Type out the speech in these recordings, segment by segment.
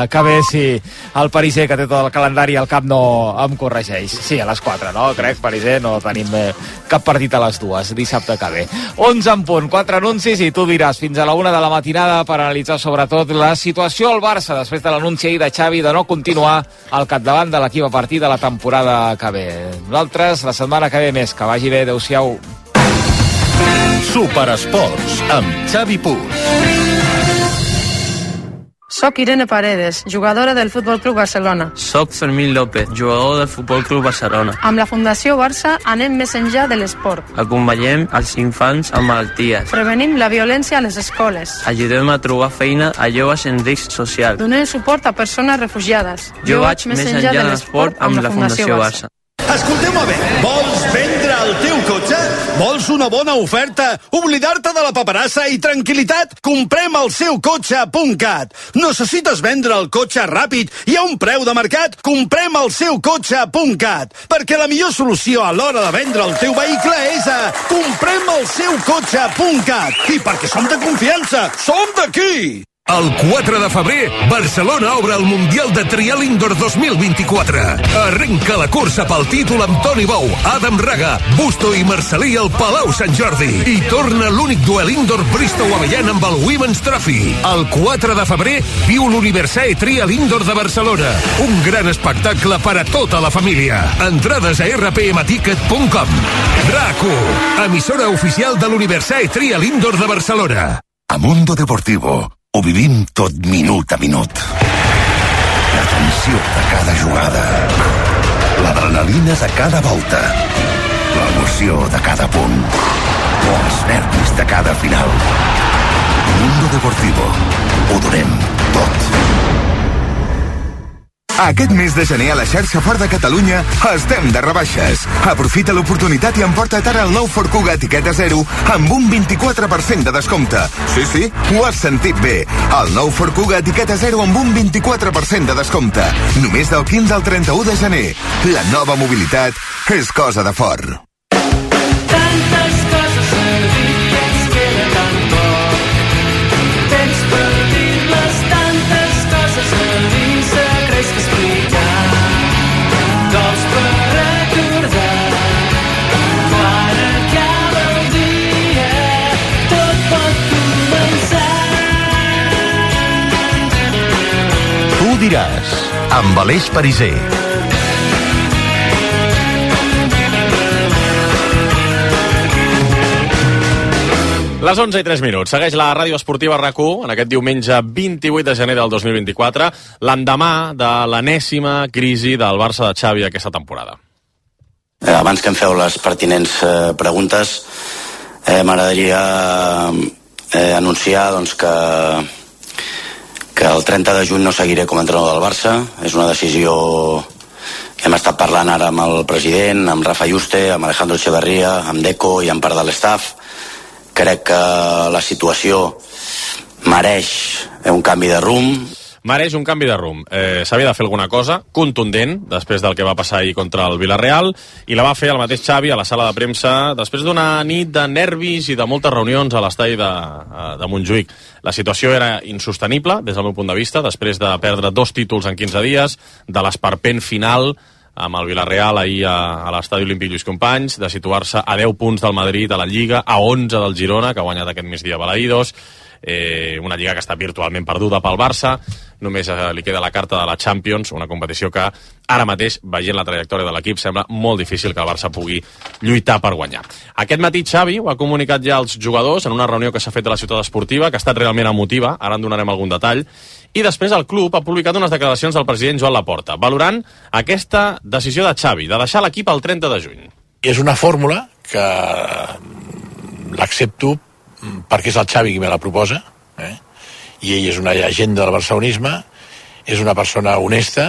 Que bé si el Pariser, que té tot el calendari al cap, no em corregeix. Sí, a les 4, no? Crec, Pariser, no tenim cap partit a les 2, dissabte que ve. 11 en punt, 4 anuncis i tu diràs fins a la 1 de la matinada per analitzar sobretot la situació al Barça després de l'anunci ahir de Xavi de no continuar al capdavant de l'equip a partir de la temporada que ve. Nosaltres, la setmana que ve més. Que vagi bé, adeu-siau. Superesports amb Xavi Puig. Soc Irene Paredes, jugadora del Futbol Club Barcelona. Soc Fermín López, jugador del Futbol Club Barcelona. Amb la Fundació Barça anem més enllà de l'esport. Acompanyem els infants amb malalties. Prevenim la violència a les escoles. Ajudem a trobar feina a joves en risc social. Donem suport a persones refugiades. Jo vaig més enllà de l'esport amb la Fundació Barça. Escolteu-me bé, vols vendre el teu cotxe? Vols una bona oferta? Oblidar-te de la paperassa i tranquil·litat? Comprem el seu cotxe.cat. Necessites vendre el cotxe ràpid i a un preu de mercat? Comprem el seu cotxe.cat. Perquè la millor solució a l'hora de vendre el teu vehicle és a comprem el seu cotxe.cat. I perquè som de confiança, som d'aquí! El 4 de febrer, Barcelona obre el Mundial de Trial Indoor 2024. Arrenca la cursa pel títol amb Toni Bou, Adam Raga, Busto i Marcelí al Palau Sant Jordi. I torna l'únic duel indoor Bristow-Avellana amb el Women's Trophy. El 4 de febrer, viu l'Universae Trial Indoor de Barcelona. Un gran espectacle per a tota la família. Entrades a rpmticket.com. RAC1, emissora oficial de l'Universae Trial Indoor de Barcelona. A Mundo Deportivo ho vivim tot minut a minut. La tensió de cada jugada, l'adrenalina de cada volta, l'emoció de cada punt, o els nervis de cada final. Mundo Deportivo, ho donem tot. Aquest mes de gener a la xarxa Ford de Catalunya estem de rebaixes. Aprofita l'oportunitat i emporta't ara el nou Ford Kuga etiqueta 0 amb un 24% de descompte. Sí, ho has sentit bé. El nou Ford Kuga etiqueta 0 amb un 24% de descompte. Només del 15 al 31 de gener. La nova mobilitat és cosa de Ford. Tantes coses a dir que ens queda tan poc. Temps per dir-les, tantes coses a dir. Diràs, amb Aleix Pariser. Les 11 i 3 minuts. Segueix la ràdio esportiva RAC1 en aquest diumenge 28 de gener del 2024, l'endemà de l'enèsima crisi del Barça de Xavi aquesta temporada. Abans que em feu les pertinents preguntes, m'agradaria anunciar doncs, que el 30 de juny no seguiré com a entrenador del Barça. És una decisió que hem estat parlant ara amb el president, amb Rafa Yuste, amb Alejandro Echeverría, amb Deco i amb part de l'estaf. Crec que la situació mereix un canvi de rumb. Mereix un canvi de rumb. S'havia de fer alguna cosa contundent després del que va passar ahir contra el Villarreal, i la va fer el mateix Xavi a la sala de premsa després d'una nit de nervis i de moltes reunions a l'estadi de Montjuïc. La situació era insostenible des del meu punt de vista, després de perdre 2 títols en 15 dies, de l'esperpent final amb el Villarreal ahir a l'estadi Olímpic Lluís Companys, de situar-se a 10 punts del Madrid a la Lliga, a 11 del Girona, que ha guanyat aquest migdia Balaïdos, una lliga que està virtualment perduda pel Barça. Només li queda la carta de la Champions, una competició que ara mateix, veient la trajectòria de l'equip, sembla molt difícil que el Barça pugui lluitar per guanyar. Aquest matí Xavi ho ha comunicat ja als jugadors en una reunió que s'ha fet a la ciutat esportiva, que ha estat realment emotiva, ara en donarem algun detall, i després el club ha publicat unes declaracions del president Joan Laporta, valorant aquesta decisió de Xavi, de deixar l'equip el 30 de juny. És una fórmula que l'accepto perquè és el Xavi qui me la proposa, i ell és una llegenda del barcelonisme, és una persona honesta,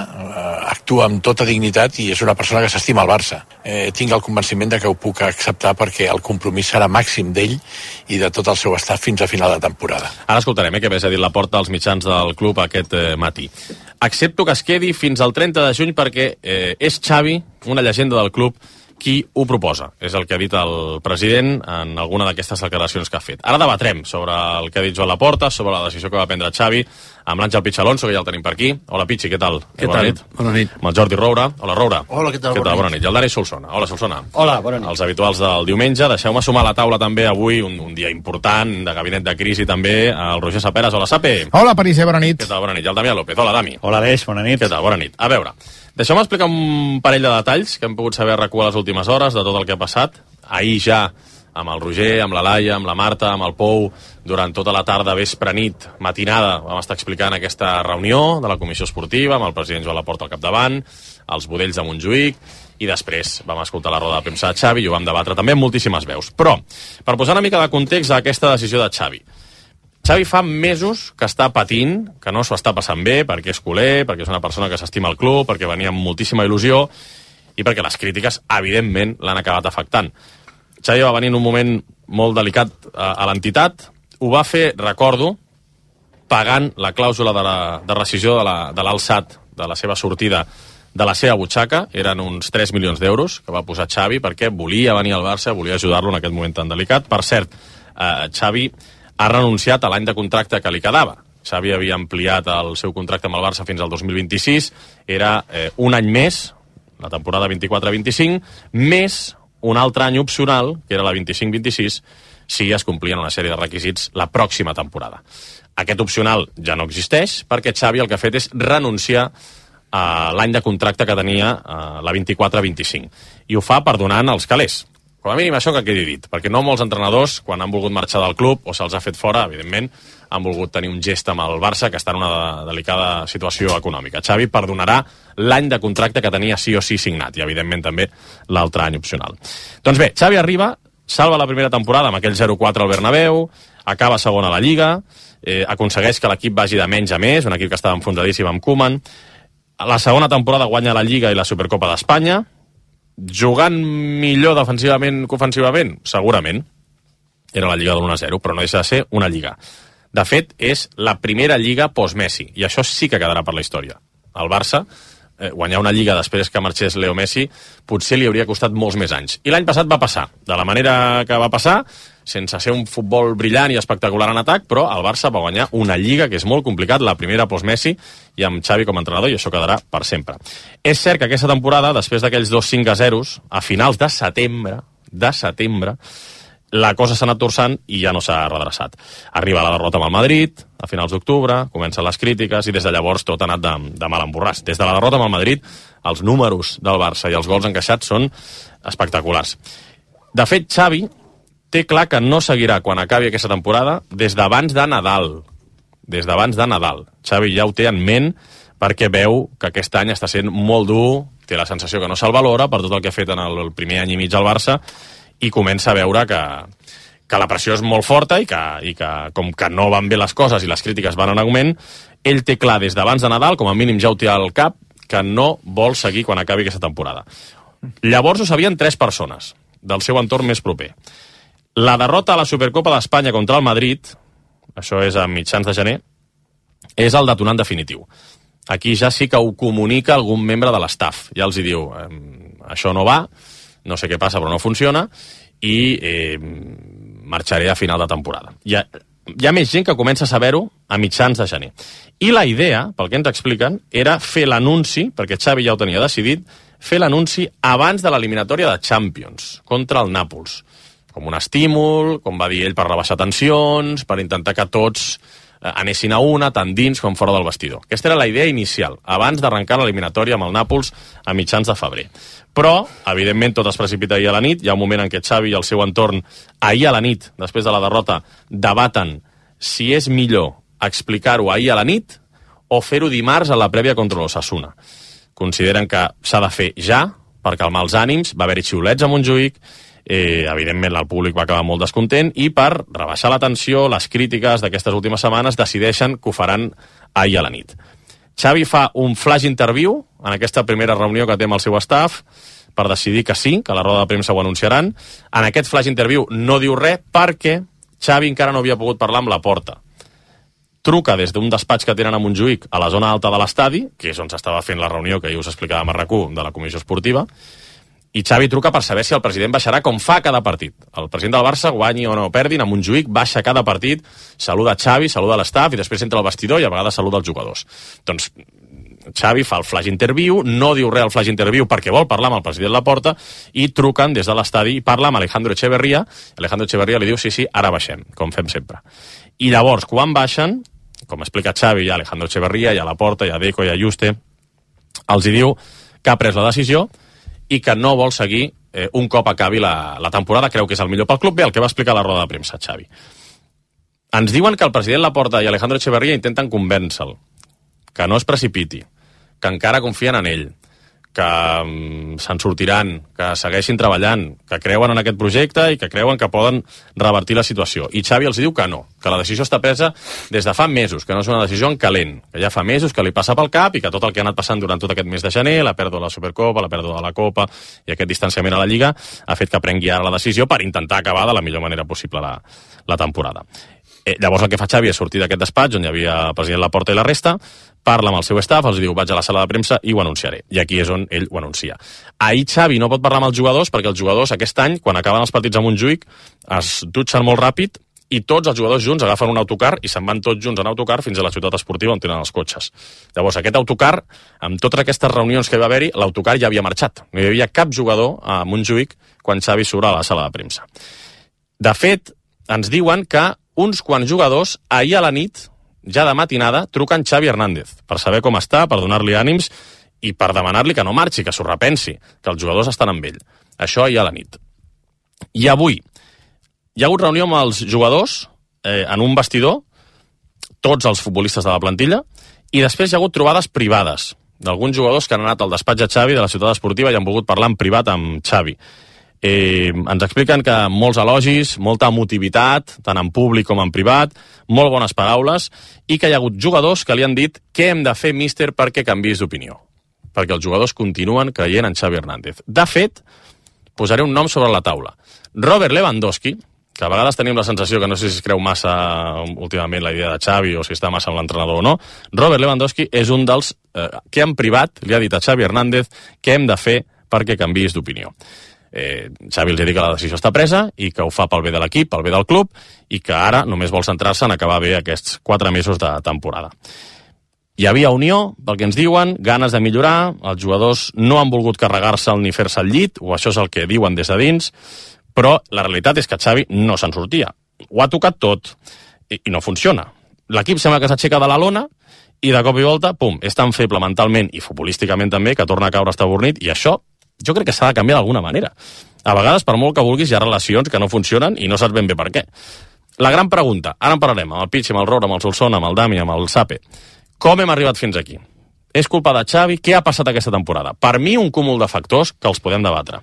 actua amb tota dignitat i és una persona que s'estima el Barça. Tinc el convenciment de que ho puc acceptar perquè el compromís serà màxim d'ell i de tot el seu estat fins a final de temporada. Ara escoltarem què més ha dit Laporta als mitjans del club aquest matí. Accepto que es quedi fins al 30 de juny perquè és Xavi, una llegenda del club, qui ho proposa. És el que ha dit el president en alguna d'aquestes declaracions que ha fet. Ara debatrem sobre el que ha dit Joan Laporta, sobre la decisió que va prendre Xavi amb l'Àngel Pitx Alonso, que ja el tenim per aquí. Hola, Pitxi, què tal? Què tal? Bona nit. Amb el Jordi Roura. Hola, Roura. Hola, què tal? Bona nit. I el Dani Solsona. Hola, Solsona. Hola, bona nit. Els habituals del diumenge. Deixeu-me sumar a la taula també avui, un dia important, de gabinet de crisi també, el Roger Saperas. Hola, Sape. Hola, Pariser, bona nit. Què tal? Bona nit. I el Damià López. Hola, Dami. Hola, Aleix, bona nit. Què tal? Bona nit. A veure, deixeu-me explicar un parell de detalls que hem pogut saber a RAC1 les últimes hores de tot el que ha passat. Ahir ja, amb el Roger, amb la Laia, amb la Marta, amb el Pou, durant tota la tarda, vespre, nit, matinada, vam estar explicant aquesta reunió de la Comissió Esportiva, amb el president Joan Laporta al capdavant, els budells de Montjuïc, i després vam escoltar la roda de premsa de Xavi i ho vam debatre també amb moltíssimes veus. Però, per posar una mica de context a aquesta decisió de Xavi, Xavi fa mesos que està patint, que no s'ho està passant bé, perquè és culer, perquè és una persona que s'estima el club, perquè venia amb moltíssima il·lusió i perquè les crítiques, evidentment, l'han acabat afectant. Xavi va venir en un moment molt delicat a l'entitat, ho va fer, recordo, pagant la clàusula de rescissió de l'Alsat, de la seva sortida de la seva butxaca, eren uns 3 milions d'euros que va posar Xavi perquè volia venir al Barça, volia ajudar-lo en aquest moment tan delicat. Per cert, Xavi ha renunciat a l'any de contracte que li quedava. Xavi havia ampliat el seu contracte amb el Barça fins al 2026, era un any més, la temporada 24-25, més un altre any opcional, que era la 25-26, si es complien una sèrie de requisits la pròxima temporada. Aquest opcional ja no existeix, perquè Xavi el que ha fet és renunciar a l'any de contracte que tenia la 24-25. I ho fa perdonant els calés. Com a mínim això que quedi dit, perquè no molts entrenadors, quan han volgut marxar del club o se'ls ha fet fora, evidentment, han volgut tenir un gest amb el Barça que està en una delicada situació econòmica. Xavi perdonarà l'any de contracte que tenia sí o sí signat i, evidentment, també l'altre any opcional. Doncs bé, Xavi arriba, salva la primera temporada amb aquell 0-4 al Bernabéu, acaba segona a la Lliga, aconsegueix que l'equip vagi de menys a més, un equip que estava enfonsadíssim amb Koeman. A la segona temporada guanya la Lliga i la Supercopa d'Espanya, jugant millor defensivament que ofensivament? Segurament. Era la Lliga de l'1-0, però no deixa de ser una Lliga. De fet, és la primera Lliga post-Messi, i això sí que quedarà per la història. El Barça, guanyar una Lliga després que marxés Leo Messi, potser li hauria costat molts més anys. I l'any passat va passar, de la manera que va passar, sense ser un futbol brillant i espectacular en atac, però el Barça va guanyar una Lliga que és molt complicat, la primera post-Messi, i amb Xavi com a entrenador, i això quedarà per sempre. És cert que aquesta temporada, després d'aquells 2 5-0, a finals de setembre, la cosa s'ha anat torçant i ja no s'ha redreçat. Arriba la derrota amb el Madrid, a finals d'octubre, comencen les crítiques i des de llavors tot ha anat de mal en borràs. Des de la derrota amb el Madrid, els números del Barça i els gols encaixats són espectaculars. De fet, Xavi té clar que no seguirà quan acabi aquesta temporada des d'abans de Nadal. Des d'abans de Nadal. Xavi ja ho té en ment perquè veu que aquest any està sent molt dur, té la sensació que no se'l valora per tot el que ha fet en el primer any i mig al Barça i comença a veure que la pressió és molt forta i que com que no van bé les coses i les crítiques van en augment, ell té clar des d'abans de Nadal, com a mínim ja ho té al cap, que no vol seguir quan acabi aquesta temporada. Llavors ho sabien 3 persones del seu entorn més proper. La derrota a la Supercopa d'Espanya contra el Madrid, això és a mitjans de gener, és el detonant definitiu. Aquí ja sí que ho comunica algun membre de l'estaf. Ja els hi diu, això no va, no sé què passa però no funciona, i marxaré a final de temporada. Hi ha més gent que comença a saber-ho a mitjans de gener. I la idea, pel que ens expliquen, era fer l'anunci, perquè Xavi ja ho tenia decidit, fer l'anunci abans de l'eliminatòria de Champions, contra el Nàpols. Com un estímul, com va dir ell, per rebaixar tensions, per intentar que tots anessin a una, tant dins com fora del vestidor. Aquesta era la idea inicial, abans d'arrencar l'eliminatòria amb el Nàpols a mitjans de febrer. Però, evidentment, tot es precipita ahir a la nit. Hi ha un moment en què Xavi i el seu entorn, ahir a la nit, després de la derrota, debaten si és millor explicar-ho ahir a la nit o fer-ho dimarts a la prèvia contra l'Osasuna. Consideren que s'ha de fer ja, per calmar els ànims, va haver-hi xiulets a Montjuïc, evidentment el públic va acabar molt descontent i per rebaixar la tensió, les crítiques d'aquestes últimes setmanes decideixen que ho faran ahir a la nit. Xavi fa un flash interview en aquesta primera reunió que té amb el seu staff per decidir que sí, que a la roda de premsa ho anunciaran. En aquest flash interview no diu res perquè Xavi encara no havia pogut parlar amb Laporta. Truca des d'un despatx que tenen a Montjuïc a la zona alta de l'estadi, que és on s'estava fent la reunió que ahir us explicàvem a RAC1 de la Comissió Esportiva, I Xavi truca per saber si el president baixarà com fa cada partit. El president del Barça, guanyi o no perdin, a Montjuïc baixa cada partit, saluda Xavi, saluda l'estaf i després entra al vestidor i a vegades saluda els jugadors. Doncs Xavi fa el flash interview, no diu res al flash interview perquè vol parlar amb el president Laporta i truquen des de l'estadi i parla amb Alejandro Echeverría. Alejandro Echeverría li diu sí, ara baixem, com fem sempre. I llavors, quan baixen, com explica Xavi, hi ha Alejandro Echeverría, hi ha Laporta, hi ha Deco, hi ha Juste, els hi diu que ha pres la decisió i que no vol seguir un cop acabi la temporada, creu que és el millor pel club. Bé, el que va explicar a la roda de premsa, Xavi. Ens diuen que el president Laporta i Alejandro Echeverría intenten convèncer-lo, que no es precipiti, que encara confien en ell, que se'n sortiran, que segueixin treballant, que creuen en aquest projecte i que creuen que poden revertir la situació. I Xavi els diu que no, que la decisió està presa des de fa mesos, que no és una decisió en calent, que ja fa mesos que li passa pel cap i que tot el que ha anat passant durant tot aquest mes de gener, la pèrdua de la Supercopa, la pèrdua de la Copa i aquest distanciament a la Lliga, ha fet que prengui ara la decisió per intentar acabar de la millor manera possible la temporada. Llavors el que fa Xavi és sortir d'aquest despatx on hi havia el president Laporta i la resta, parla amb el seu staff, els diu vaig a la sala de premsa i ho anunciaré. I aquí és on ell ho anuncia. Ahir Xavi no pot parlar amb els jugadors perquè els jugadors aquest any, quan acaben els partits a Montjuïc, es dutxen molt ràpid i tots els jugadors junts agafen un autocar i se'n van tots junts en autocar fins a la ciutat esportiva on tenen els cotxes. Llavors aquest autocar, amb totes aquestes reunions que va haver-hi, l'autocar ja havia marxat. No hi havia cap jugador a Montjuïc quan Xavi surt a la sala de premsa. De fet, ens diuen que uns quants jugadors ahir a la nit, ja de matinada, truquen Xavi Hernández per saber com està, per donar-li ànims i per demanar-li que no marxi, que s'ho repensi, que els jugadors estan amb ell. Això ahir a la nit. I avui hi ha hagut reunió amb els jugadors en un vestidor, tots els futbolistes de la plantilla, i després hi ha hagut trobades privades d'alguns jugadors que han anat al despatx de Xavi de la ciutat esportiva i han volgut parlar en privat amb Xavi. Ens expliquen que molts elogis, molta emotivitat, tant en públic com en privat, molt bones paraules, i que hi ha hagut jugadors que li han dit què hem de fer, míster, perquè canviïs d'opinió. Perquè els jugadors continuen creient en Xavi Hernández. De fet, posaré un nom sobre la taula. Robert Lewandowski, que a vegades tenim la sensació que no sé si es creu massa últimament la idea de Xavi o si està massa amb l'entrenador o no, Robert Lewandowski és un dels que en privat li ha dit a Xavi Hernández què hem de fer perquè canviïs d'opinió. Xavi els ha dit que la decisió està presa i que ho fa pel bé de l'equip, pel bé del club i que ara només vol centrar-se en acabar bé aquests 4 mesos de temporada. Hi havia unió, pel que ens diuen, ganes de millorar, els jugadors no han volgut carregar-se'l ni fer-se al llit, o això és el que diuen des de dins, però la realitat és que Xavi no se'n sortia. Ho ha tocat tot i no funciona. L'equip sembla que s'aixeca de la lona i de cop i volta, pum, és tan feble mentalment i futbolísticament també que torna a caure estabornit i això jo crec que s'ha de canviar d'alguna manera. A vegades, per molt que vulguis, hi ha relacions que no funcionen i no saps ben bé per què. La gran pregunta, ara en parlarem, amb el Pitch, amb el Roure, amb el Solsona, amb el Dami, amb el Sape. Com hem arribat fins aquí? És culpa de Xavi? Què ha passat aquesta temporada? Per mi, un cúmul de factors que els podem debatre.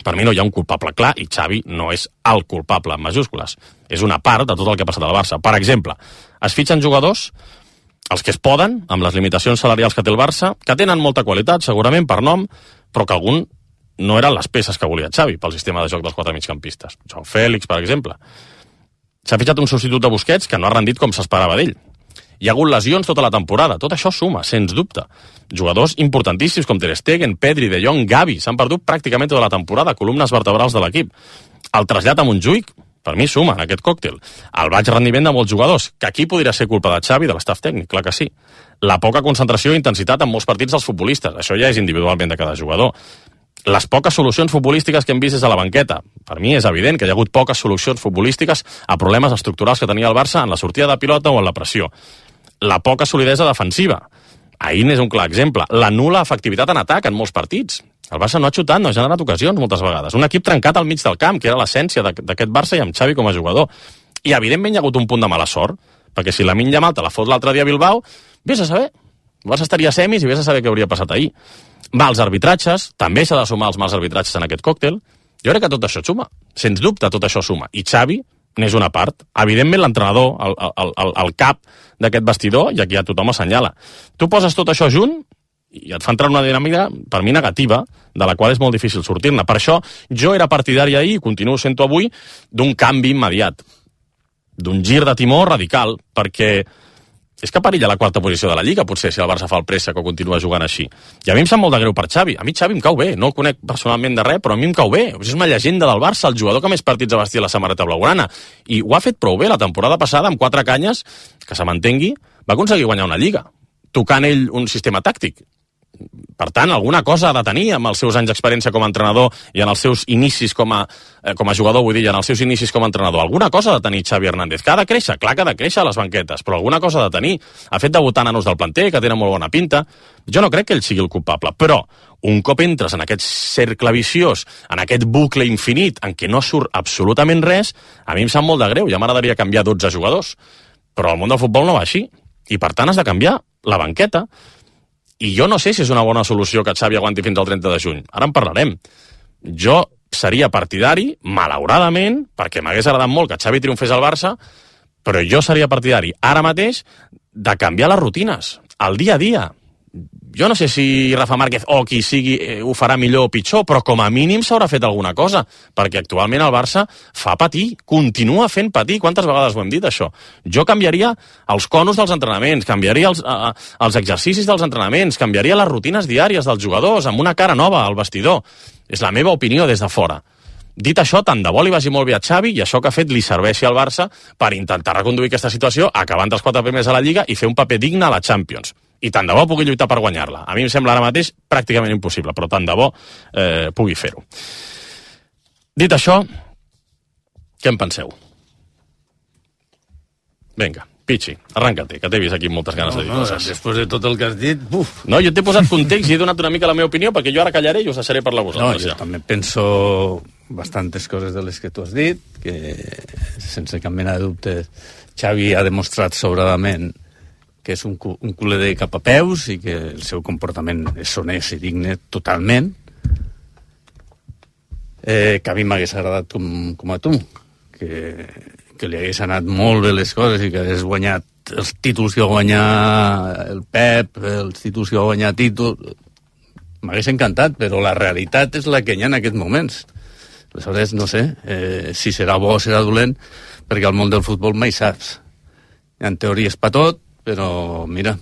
Per mi no hi ha un culpable clar i Xavi no és el culpable en majúscules. És una part de tot el que ha passat al Barça. Per exemple, es fitxen jugadors, els que es poden, amb les limitacions salarials que té el Barça, que tenen molta qualitat, segurament, per nom, però que algun no eren les peces que volia Xavi pel sistema de joc dels 4 migcampistes. Joao Fèlix, per exemple. S'ha fitxat un substitut de Busquets que no ha rendit com s'esperava d'ell. Hi ha hagut lesions tota la temporada. Tot això suma, sens dubte. Jugadors importantíssims com Ter Stegen, Pedri, De Jong, Gavi s'han perdut pràcticament tota la temporada, columnes vertebrals de l'equip. El trasllat a Montjuïc, per mi suma en aquest còctel. El baix rendiment de molts jugadors, que aquí podria ser culpa de Xavi, de l'estaf tècnic, clar que sí. La poca concentració i intensitat en molts partits dels futbolistes, això ja és individualment de cada jugador. Les poques solucions futbolístiques que hem vist des de la banqueta. Per mi és evident que hi ha hagut poques solucions futbolístiques a problemes estructurals que tenia el Barça en la sortida de pilota o en la pressió. La poca solidesa defensiva. Ahir n'és un clar exemple. La nul·la efectivitat en atac en molts partits. El Barça no ha xutat, no ha generat ocasions moltes vegades. Un equip trencat al mig del camp, que era l'essència d'aquest Barça i amb Xavi com a jugador. I evidentment hi ha hagut un punt de mala sort, perquè si Lamine Yamal te la fot l'altre dia a Bilbao, vés a saber. El Barça estaria a semis i vés a saber què hauria passat ahir. Mals arbitratges, també s'ha de sumar els mals arbitratges en aquest còctel. Jo crec que tot això suma. Sens dubte tot això suma. I Xavi n'és una part. Evidentment l'entrenador, el cap d'aquest vestidor, i aquí ja tothom assenyala. Tu poses tot això junt i et fa entrar una dinàmica, per mi, negativa, de la qual és molt difícil sortir-ne. Per això jo era partidari ahir, i continuo sent-ho avui, d'un canvi immediat, d'un gir de timó radical, perquè És que perilla la quarta posició de la Lliga, potser, si el Barça fa el préssec o continua jugant així. I a mi em sap molt de greu per Xavi. A mi Xavi em cau bé, no el conec personalment de res, però a mi em cau bé. És una llegenda del Barça, el jugador que més partits ha vestit la samarreta blaugrana. I ho ha fet prou bé la temporada passada, amb 4 canyes, que se m'entengui, va aconseguir guanyar una Lliga, tocant ell un sistema tàctic. Per tant, alguna cosa ha de tenir amb els seus anys d'experiència com a entrenador i en els seus inicis com a jugador, vull dir, en els seus inicis com a entrenador. Alguna cosa ha de tenir Xavi Hernández, que ha de créixer, clar que ha de créixer a les banquetes, però alguna cosa ha de tenir. Ha fet debutar nanos del planter, que tenen molt bona pinta. Jo no crec que ell sigui el culpable, però un cop entres en aquest cercle viciós, en aquest bucle infinit, en què no surt absolutament res, a mi em sap molt de greu. Ja m'agradaria canviar 12 jugadors, però el món del futbol no va així. I per tant has de canviar la banqueta. I jo no sé si és una bona solució que Xavi aguanti fins al 30 de juny. Ara en parlarem. Jo seria partidari, malauradament, perquè m'hagués agradat molt que Xavi triomfés al Barça, però jo seria partidari ara mateix de canviar les rutines, el dia a dia. Jo no sé si Rafa Márquez o qui sigui ho farà millor o pitjor, però com a mínim s'haurà fet alguna cosa, perquè actualment el Barça fa patir, continua fent patir. Quantes vegades ho hem dit, això? Jo canviaria els conos dels entrenaments, canviaria els exercicis dels entrenaments, canviaria les rutines diàries dels jugadors, amb una cara nova al vestidor. És la meva opinió des de fora. Dit això, tant de bo li vagi molt bé a Xavi i això que ha fet li serveixi al Barça per intentar reconduir aquesta situació, acabar entre els 4 primers a la Lliga i fer un paper digne a la Champions. I tant de bo pugui lluitar per guanyar-la. A mi em sembla ara mateix pràcticament impossible, però tant de bo pugui fer-ho. Dit això, què en penseu? Vinga, Pichi, arranca-te, que t'he vist aquí amb moltes ganes de dir coses. Després de tot el que has dit, buf. No, jo t'he posat context i he donat una mica la meva opinió, perquè jo ara callaré i us deixaré parlar vosaltres. No, jo també penso bastantes coses de les que tu has dit, que sense cap mena de dubte Xavi ha demostrat sobradament que és un culer de cap a peus i que el seu comportament és honest i digne totalment, que a mi m'hagués agradat com a tu, que li hagués anat molt bé les coses i que hagués guanyat els títols que va guanyar el Pep, els títols que va guanyar Tito. M'hagués encantat, però la realitat és la que hi ha en aquests moments. Aleshores, no sé si serà bo o serà dolent, perquè al món del futbol mai saps. Hi ha teories per tot, però mira,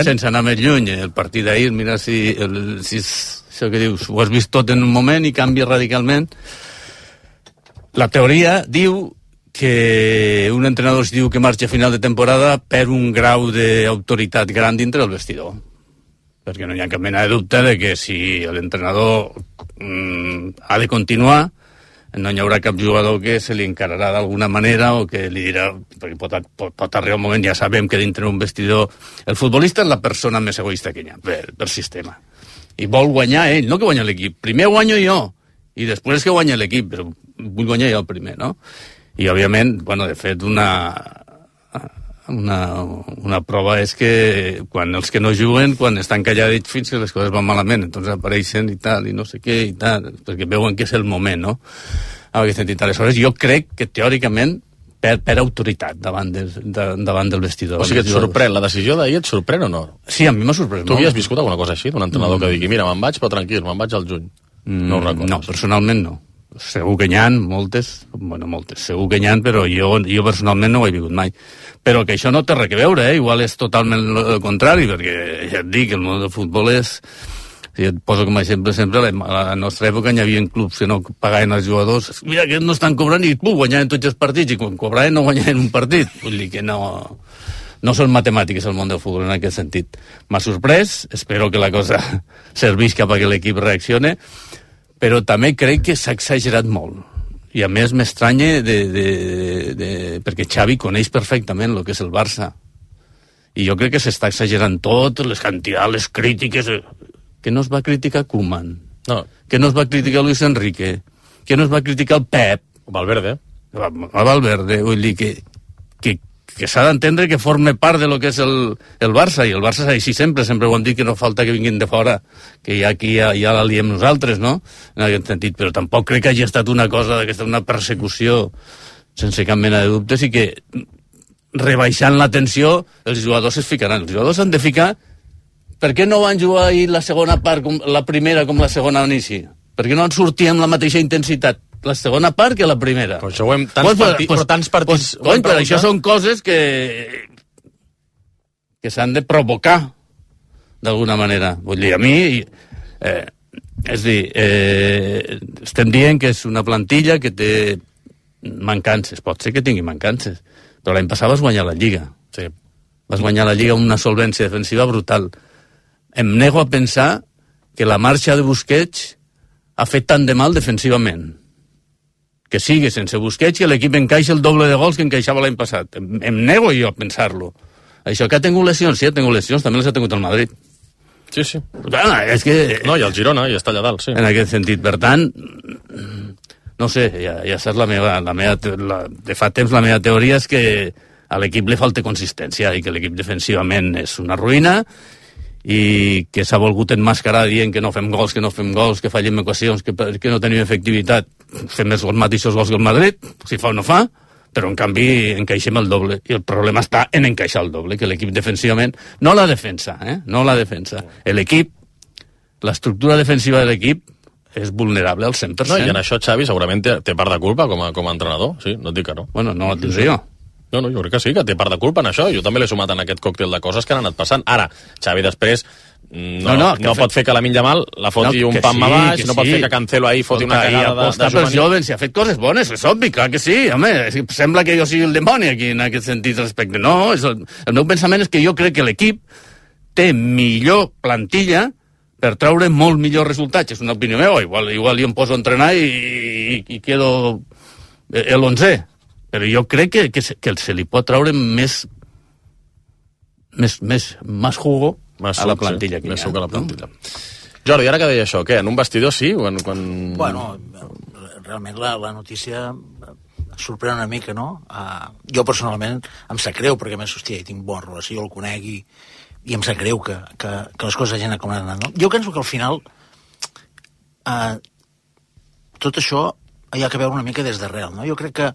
sense anar més lluny, el partit d'ahir, mira si això que dius, ho has vist tot en un moment i canvia radicalment. La teoria diu que un entrenador, si diu que marxa a final de temporada, perd un grau d'autoritat gran dintre del vestidor, perquè no hi ha cap mena de dubte de que si l'entrenador ha de continuar, no hi haurà cap jugador que se li encararà d'alguna manera o que li dirà, perquè pot arribar un moment, ja sabem que dintre un vestidor el futbolista és la persona més egoista que hi ha per sistema, i vol guanyar ell, no que guanya l'equip. Primer guanyo jo i després que guanya l'equip, però vull guanyar jo el primer, no? I òbviament, bueno, de fet una prova és que quan els que no juguen, quan estan calladits fins que les coses van malament, entonces apareixen i tal, i no sé què, i tal, perquè veuen que és el moment, no? En aquest sentit, aleshores, jo crec que teòricament per autoritat davant del vestidor. O sigui, et sorprèn, la decisió d'ahir et sorprèn o no? Sí, a mi m'ha sorprès. Tu havies viscut alguna cosa així, d'un entrenador que digui, mira, me'n vaig, però tranquil, me'n vaig al juny? No ho recordes? No, personalment no. Segur que n'hi ha moltes, segur que n'hi ha, però jo personalment no ho he vingut mai. Però que això no té res a veure, igual és totalment el contrari, perquè ja et dic, el món del futbol és... Si et poso com a exemple sempre, a la nostra època hi havia clubs que no pagaven els jugadors, mira que no estan cobrant i guanyaven tots els partits, i quan cobraven no guanyaven un partit. Vull dir que no són matemàtiques el món del futbol en aquest sentit. M'ha sorprès, espero que la cosa servís cap a que l'equip reaccione, però també crec que s'ha exagerat molt. I a més m'estranya perquè Xavi coneix perfectament el que és el Barça. I jo crec que s'està exagerant tot, les quantitats, les crítiques... Que no es va criticar Koeman, que no es va criticar Luis Enrique, que no es va criticar el Pep. Valverde. Valverde, vull dir que s'ha d'entendre que forma part de lo que és el Barça, i el Barça és així sempre ho hem dit, que no falta que vinguin de fora, que aquí ja la liem nosaltres, no? En aquest sentit, però tampoc crec que hagi estat una cosa d'aquesta, una persecució sense cap mena de dubtes, i que rebaixant la tensió els jugadors es ficaran. Els jugadors s'han de ficar. Per què no van jugar ahir la segona part, com la primera com la segona a l'inici? Per què no en sortir amb la mateixa intensitat la segona part que la primera? Però això ho hem... Tants partits... Però això són coses que... que s'han de provocar d'alguna manera. Vull dir, a mi... és dir, estem dient que és una plantilla que té mancances. Pot ser que tingui mancances, però l'any passat vas guanyar la Lliga. Sí. Vas guanyar la Lliga amb una solvència defensiva brutal. Em nego a pensar que la marxa de Busquets ha fet tant de mal defensivament. Que sigui sense Busquets i l'equip encaixa el doble de gols que encaixava l'any passat. Em nego jo a pensar-lo. Això que ha tingut lesions, sí, ha tingut lesions, també les ha tingut el Madrid. Sí, sí. És que... No, i el Girona, i està allà dalt, sí. En aquest sentit, per tant, no sé, ja saps de fa temps la meva teoria és que a l'equip li falta consistència i que l'equip defensivament és una ruïna i que s'ha volgut enmascarar dient que no fem gols, que fallem equacions, que no tenim efectivitat. Fem els mateixos gols que el Madrid, si fa o no fa, però en canvi encaixem el doble. I el problema està en encaixar el doble, que l'equip defensivament... No la defensa, no la defensa. L'equip, l'estructura defensiva de l'equip és vulnerable al 100%. No, i en això Xavi segurament té part de culpa com a entrenador, sí, no et dic que no. Bueno, no el tindré jo. No, jo crec que sí, que té part de culpa en això. Jo també l'he sumat en aquest còctel de coses que han anat passant. Ara, Xavi després no pot fer que la Yamal la foti un pam a baix, no pot fer que Cancelo ahí foti una cagada de juvenil. Els jovens, si ha fet coses bones, és obvi, clar que sí, home, sembla que jo sigui el demoni aquí en aquest sentit respecte. No, el meu pensament és que jo crec que l'equip té millor plantilla per treure molt millors resultats. És una opinió meva, igual jo em poso a entrenar i quedo l'11è. Però jo crec que se li pot treure més jugo a la plantilla que hi ha. Més suc a la plantilla. Jordi, ara que deia això, què? En un vestidor sí? Bueno, realment la notícia sorprèn una mica, no? Jo personalment em sap greu, perquè més, hòstia, hi tinc bona relació, el conec i em sap greu que les coses hagin com han anat, no? Jo penso que al final tot això hi ha que veure una mica des d'arrel, no? Jo crec que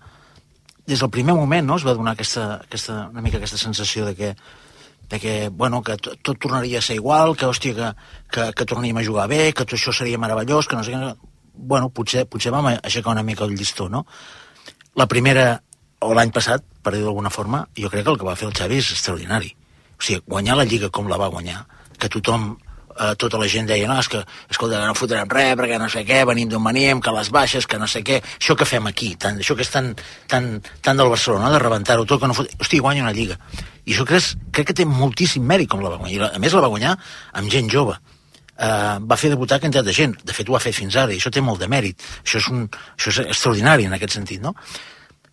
des del primer moment, no, es va donar una mica aquesta sensació de que bueno, que tot tornaria a ser igual, que, hòstia, que tornaríem a jugar bé, que tot això seria meravellós, que no sé què... Bueno, potser vam aixecar una mica el llistó, no? La primera, o l'any passat, per dir d'alguna forma, jo crec que el que va fer el Xavi és extraordinari. O sigui, guanyar la Lliga com la va guanyar, que tothom, tota la gent deia, no, és que, escolta, no fotrem res, perquè no sé què, venim d'on venim, que les baixes, que no sé què, això que fem aquí, això que és tan del Barcelona, de rebentar-ho tot, que no fot... Hosti, guanya una Lliga. I això crec que té moltíssim mèrit com la va guanyar. A més, la va guanyar amb gent jove. Va fer debutar quantitat de gent. De fet, ho ha fet fins ara, i això té molt de mèrit. Això és extraordinari, en aquest sentit, no?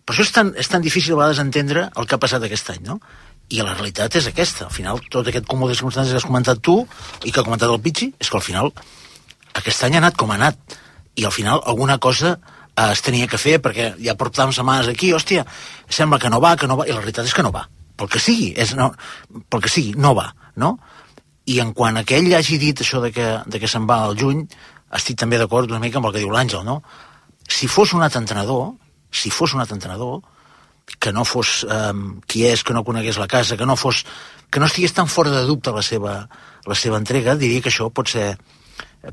Per això és tan difícil a vegades entendre el que ha passat aquest any, no? I la realitat és aquesta. Al final, tot aquest cúmul de circumstàncies que has comentat tu i que ha comentat el Pichi, és que al final aquest any ha anat com ha anat. I al final alguna cosa es tenia que fer, perquè ja portàvem setmanes aquí, hòstia, sembla que no va, i la realitat és que no va. Pel que sigui, no va, no? I en quant a que ell hagi dit això de que se'n va al juny, estic també d'acord una mica amb el que diu l'Àngel, no? Si fos un altre entrenador, que no fos qui és, que no conegués la casa, que no estigués tan fora de dubte la seva entrega, diria que això pot ser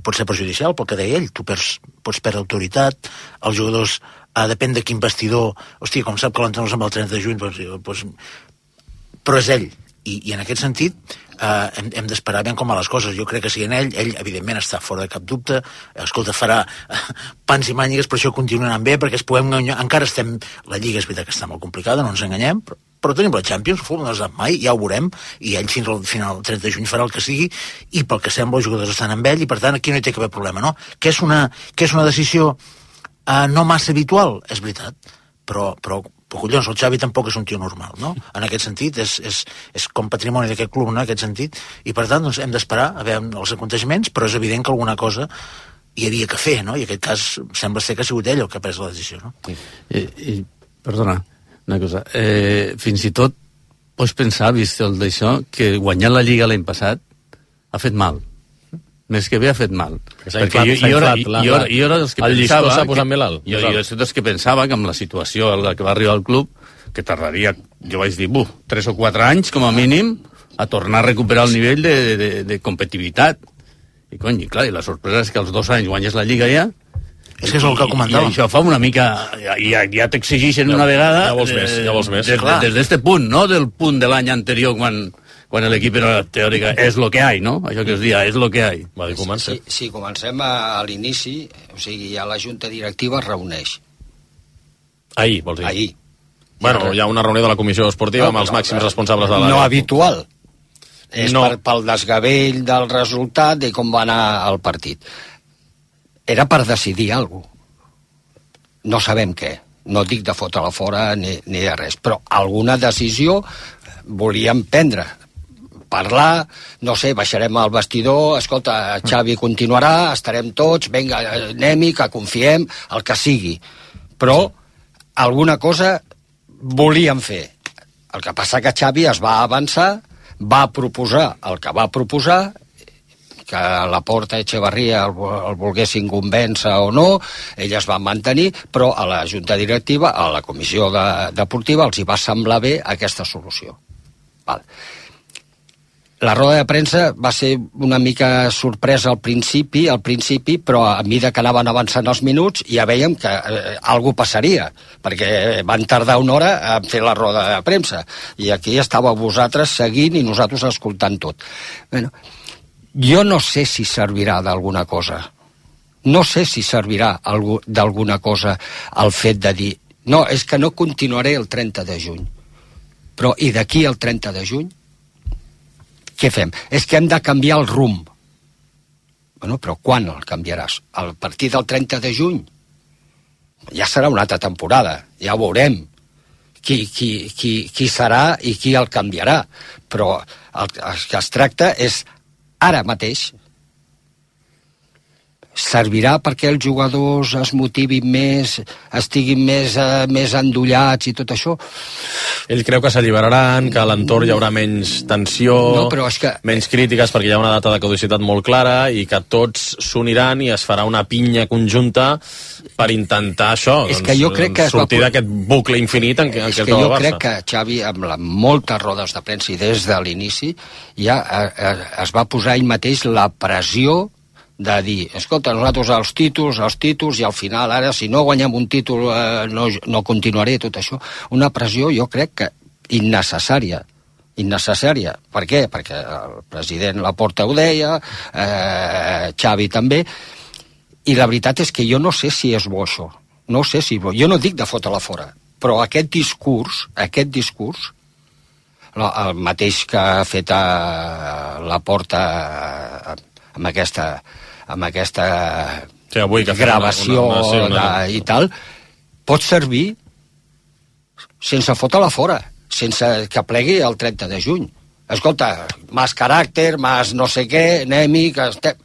perjudicial, pel que deia ell. Tu pots perdre autoritat, els jugadors, depèn de quin vestidor, hòstia, com sap que l'entrenador se'n va el 30 de juny, però és ell. I en aquest sentit hem d'esperar ben com a les coses. Jo crec que si en ell evidentment està fora de cap dubte, escolta, farà pans i mànigues, però això continua anant bé, perquè encara estem, la Lliga és veritat que està molt complicada, no ens enganyem, però tenim la Champions, el futbol no s'ha mai, ja ho veurem, i ell fins al final, el 30 de juny, farà el que sigui, i pel que sembla els jugadors estan amb ell, i per tant aquí no hi té cap problema, no? Que és una decisió no massa habitual, és veritat, però collons, el Xavi tampoc és un tio normal, no? En aquest sentit, és com patrimoni d'aquest club, no? En aquest sentit, i per tant, doncs, hem d'esperar a veure els aconteixements, però és evident que alguna cosa hi havia que fer, no? I en aquest cas sembla ser que ha sigut ell el que ha pres la decisió, no? Perdona, una cosa. Fins i tot pots pensar, vist el d'això, que guanyar la Lliga l'any passat ha fet mal. Més que bé ha fet mal. Perquè jo era dels que pensava... s'ha posat més alt. Jo era dels que pensava que amb la situació a la que va arribar el club, que tardaria, jo vaig dir, 3 o 4 anys, com a mínim, a tornar a recuperar el nivell de competitivitat. I clar, la sorpresa és que als 2 anys guanyes la Lliga ja. És que és el que comentava. I això fa una mica... Ja t'exigeixen una vegada... Ja vols més. Des d'este punt, no del punt de l'any anterior, quan quan l'equip era teòrica, és lo que hay, no? Això que es dia, és lo que hay. Va dir, comença. Si comencem a l'inici, o sigui, ja la Junta Directiva es reuneix. Ahir, vols dir? Ahir. Bueno, hi ha una reunió de la Comissió Esportiva amb els màxims responsables de l'àrea. No habitual. És pel desgavell del resultat i com va anar el partit. Era per decidir alguna cosa. No sabem què. No dic de fotre-la fora ni de res, però alguna decisió volíem prendre. Parlar, no sé, baixarem al vestidor, escolta, Xavi continuarà, estarem tots, vinga, anem-hi, que confiem, el que sigui. Però alguna cosa volíem fer. El que passa que Xavi es va avançar, va proposar el que va proposar, que Laporta i Echevarría el volguessin convèncer o no, ell es va mantenir, però a la Junta Directiva, a la Comissió Deportiva, els hi va semblar bé aquesta solució. Val. La roda de premsa va ser una mica sorpresa al principi, però a mesura que anaven avançant els minuts ja veiem que alguna passaria, perquè van tardar una hora a fer la roda de premsa, i aquí estàveu vosaltres seguint i nosaltres escoltant tot. Bueno, jo no sé si servirà d'alguna cosa. No sé si servirà d'alguna cosa el fet de dir no, és que no continuaré el 30 de juny. Però i d'aquí al 30 de juny? Què fem? És que hem de canviar el rumb. Bueno, però quan el canviaràs? A partir del 30 de juny? Ja serà una altra temporada, ja ho veurem qui serà i qui el canviarà. Però el que es tracta és ara mateix. Servirà perquè els jugadors es motivin més, estiguin més endollats i tot això? Ell creu que s'alliberaran, que a l'entorn hi haurà menys tensió, menys crítiques, perquè hi ha una data de caducitat molt clara i que tots s'uniran i es farà una pinya conjunta per intentar això, sortir d'aquest bucle infinit en què es troba el Barça. Jo crec que Xavi, amb moltes rodes de premsa i des de l'inici, ja es va posar ell mateix la pressió de dir, escolta, nosaltres els títols, i al final, ara, si no guanyem un títol, no continuaré, tot això. Una pressió, jo crec que innecessària. Per què? Perquè el president Laporta ho deia, Xavi també, i la veritat és que jo no sé si és bo això. No sé si és bo. Jo no dic de fotre-la fora, però aquest discurs, el mateix que ha fet Laporta amb aquesta gravació i tal, pot servir sense fotre-la fora, sense que plegui el 30 de juny. Escolta, més caràcter, més no sé què, anem-hi, que estem...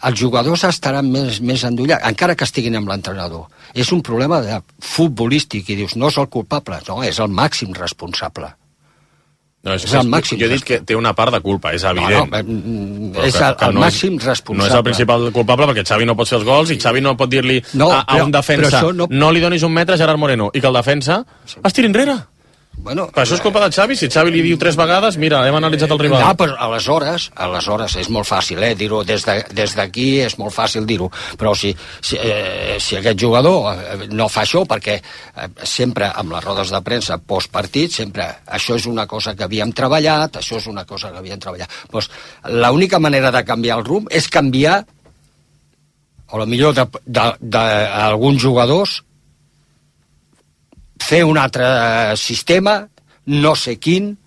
Els jugadors estaran més endollats, encara que estiguin amb l'entrenador. És un problema futbolístic, i dius, no és el culpable, no, és el màxim responsable. No, és el màxim. Jo he dit que té una part de culpa, és evident. És el màxim responsable. No és el principal culpable, perquè Xavi no pot fer els gols i Xavi no pot dir-li a un defensa no li donis un metre a Gerard Moreno, i que el defensa es tiri enrere. Bueno, per això és culpa de Xavi. Si Xavi li diu 3 vegades, mira, hem analitzat el rival. No, però aleshores és molt fàcil, dir-ho des d'aquí, és molt fàcil dir-ho, però si aquest jugador no fa això, perquè sempre amb les rodes de premsa postpartit, sempre això és una cosa que havíem treballat, doncs l'única manera de canviar el rumb és canviar, o millor d'alguns jugadors, fer un altre sistema, no sé quin,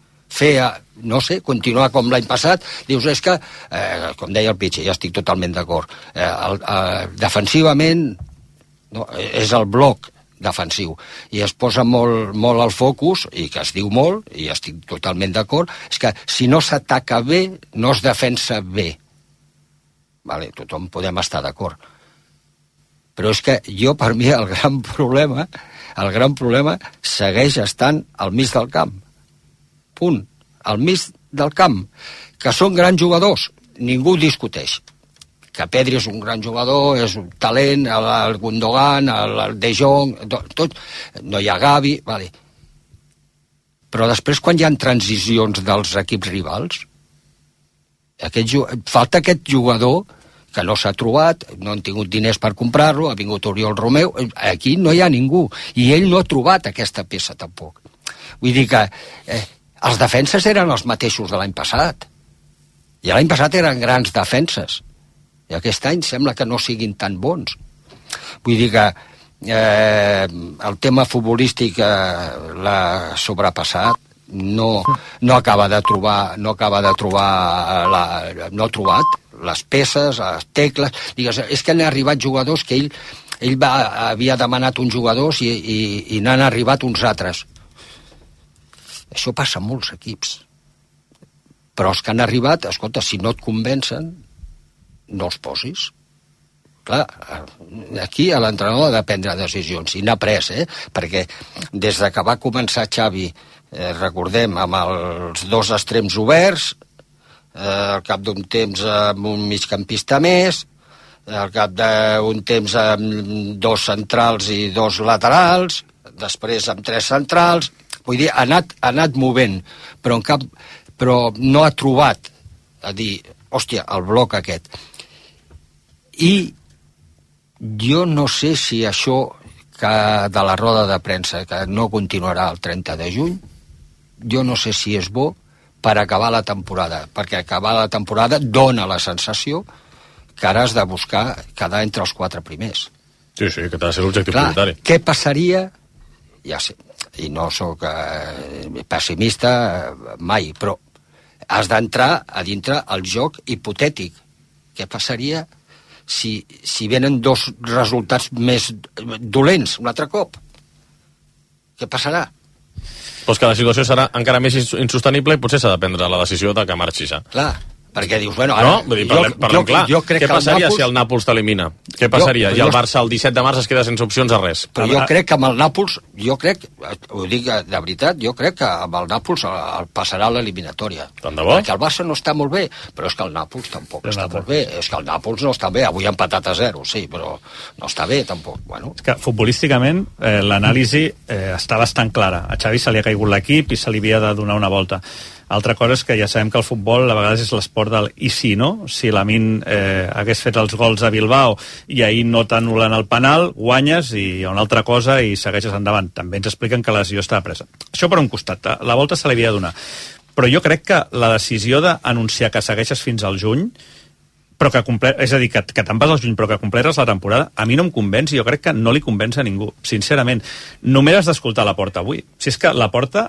continuar com l'any passat. Dius, és que, com deia el Pitxer, ja estic totalment d'acord, defensivament és el bloc defensiu, i es posa molt al focus, i que es diu molt, i estic totalment d'acord, és que si no s'ataca bé, no es defensa bé. Vale, tothom podem estar d'acord. Però és que per mi, el gran problema segueix estant al mig del camp. Punt. Al mig del camp. Que són grans jugadors, ningú discuteix. Que Pedri és un gran jugador, és un talent, el Gundogan, el De Jong, tot, no hi ha Gavi, vale. Però després, quan hi ha transicions dels equips rivals, falta aquest jugador que no s'ha trobat, no han tingut diners per comprar-lo, ha vingut Oriol Romeu, aquí no hi ha ningú, i ell no ha trobat aquesta peça tampoc. Vull dir que Els defenses eren els mateixos de l'any passat. I l'any passat eren grans defenses. I aquest any sembla que no siguin tan bons. Vull dir que el tema futbolístic l'ha sobrepassat, no acaba de trobar, no ha trobat les peces, les tecles. Digues, és que han arribat jugadors que ell havia demanat uns jugadors i n'han arribat uns altres. Això passa en molts equips. Però els que han arribat, escolta, si no et convencen, no els posis. Clar, aquí a l'entrenador ha de prendre decisions, i n'ha pres, perquè des de que va començar Xavi, recordem, amb els dos extrems oberts, al cap d'un temps amb un migcampista més, al cap d'un temps amb dos centrals i dos laterals, després amb tres centrals, vull dir, ha anat movent, però no ha trobat a dir, hòstia, el bloc aquest. I jo no sé si això de la roda de premsa, que no continuarà el 30 de juny, jo no sé si és bo per acabar la temporada, perquè acabar la temporada dona la sensació que ara has de buscar quedar entre els 4 primers. Sí, que ha de ser l'objectiu prioritari. Què passaria? Ja sé, i no sóc pessimista mai, però has d'entrar a dintre el joc hipotètic. Què passaria si venen dos resultats més dolents un altre cop? Què passarà? Doncs que la situació serà encara més insostenible i potser s'ha de prendre la decisió de que marxis. Clar, perquè dius, bueno, ara... No, vull dir, parlem clar. Què passaria si el Nàpols t'elimina? Què passaria? I el Barça el 17 de març es queda sense opcions a res. Però jo crec que amb el Nàpols, ho dic de veritat, jo crec que amb el Nàpols el passarà a l'eliminatòria. Tant de bo? Perquè el Barça no està molt bé, però és que el Nàpols tampoc està molt bé. És que el Nàpols no està bé. Avui ha empatat a 0, sí, però no està bé tampoc. Bueno. És que futbolísticament l'anàlisi està bastant clara. A Xavi se li ha caigut l'equip i se li havia de donar una volta. Altra cosa és que ja sabem que el futbol a vegades és l'esport del i si, no? Si Lamine hagués fet els gols a Bilbao i ahir no t'anulen el penal, guanyes i hi ha una altra cosa i segueixes endavant. També ens expliquen que la decisió estava presa. Això per un costat, la volta se li havia de donar. Però jo crec que la decisió d'anunciar que segueixes fins al juny, però és a dir, que te'n vas al juny però que completes la temporada, a mi no em convenç i jo crec que no li convenç a ningú, sincerament. Només has d'escoltar Laporta avui. Si és que Laporta,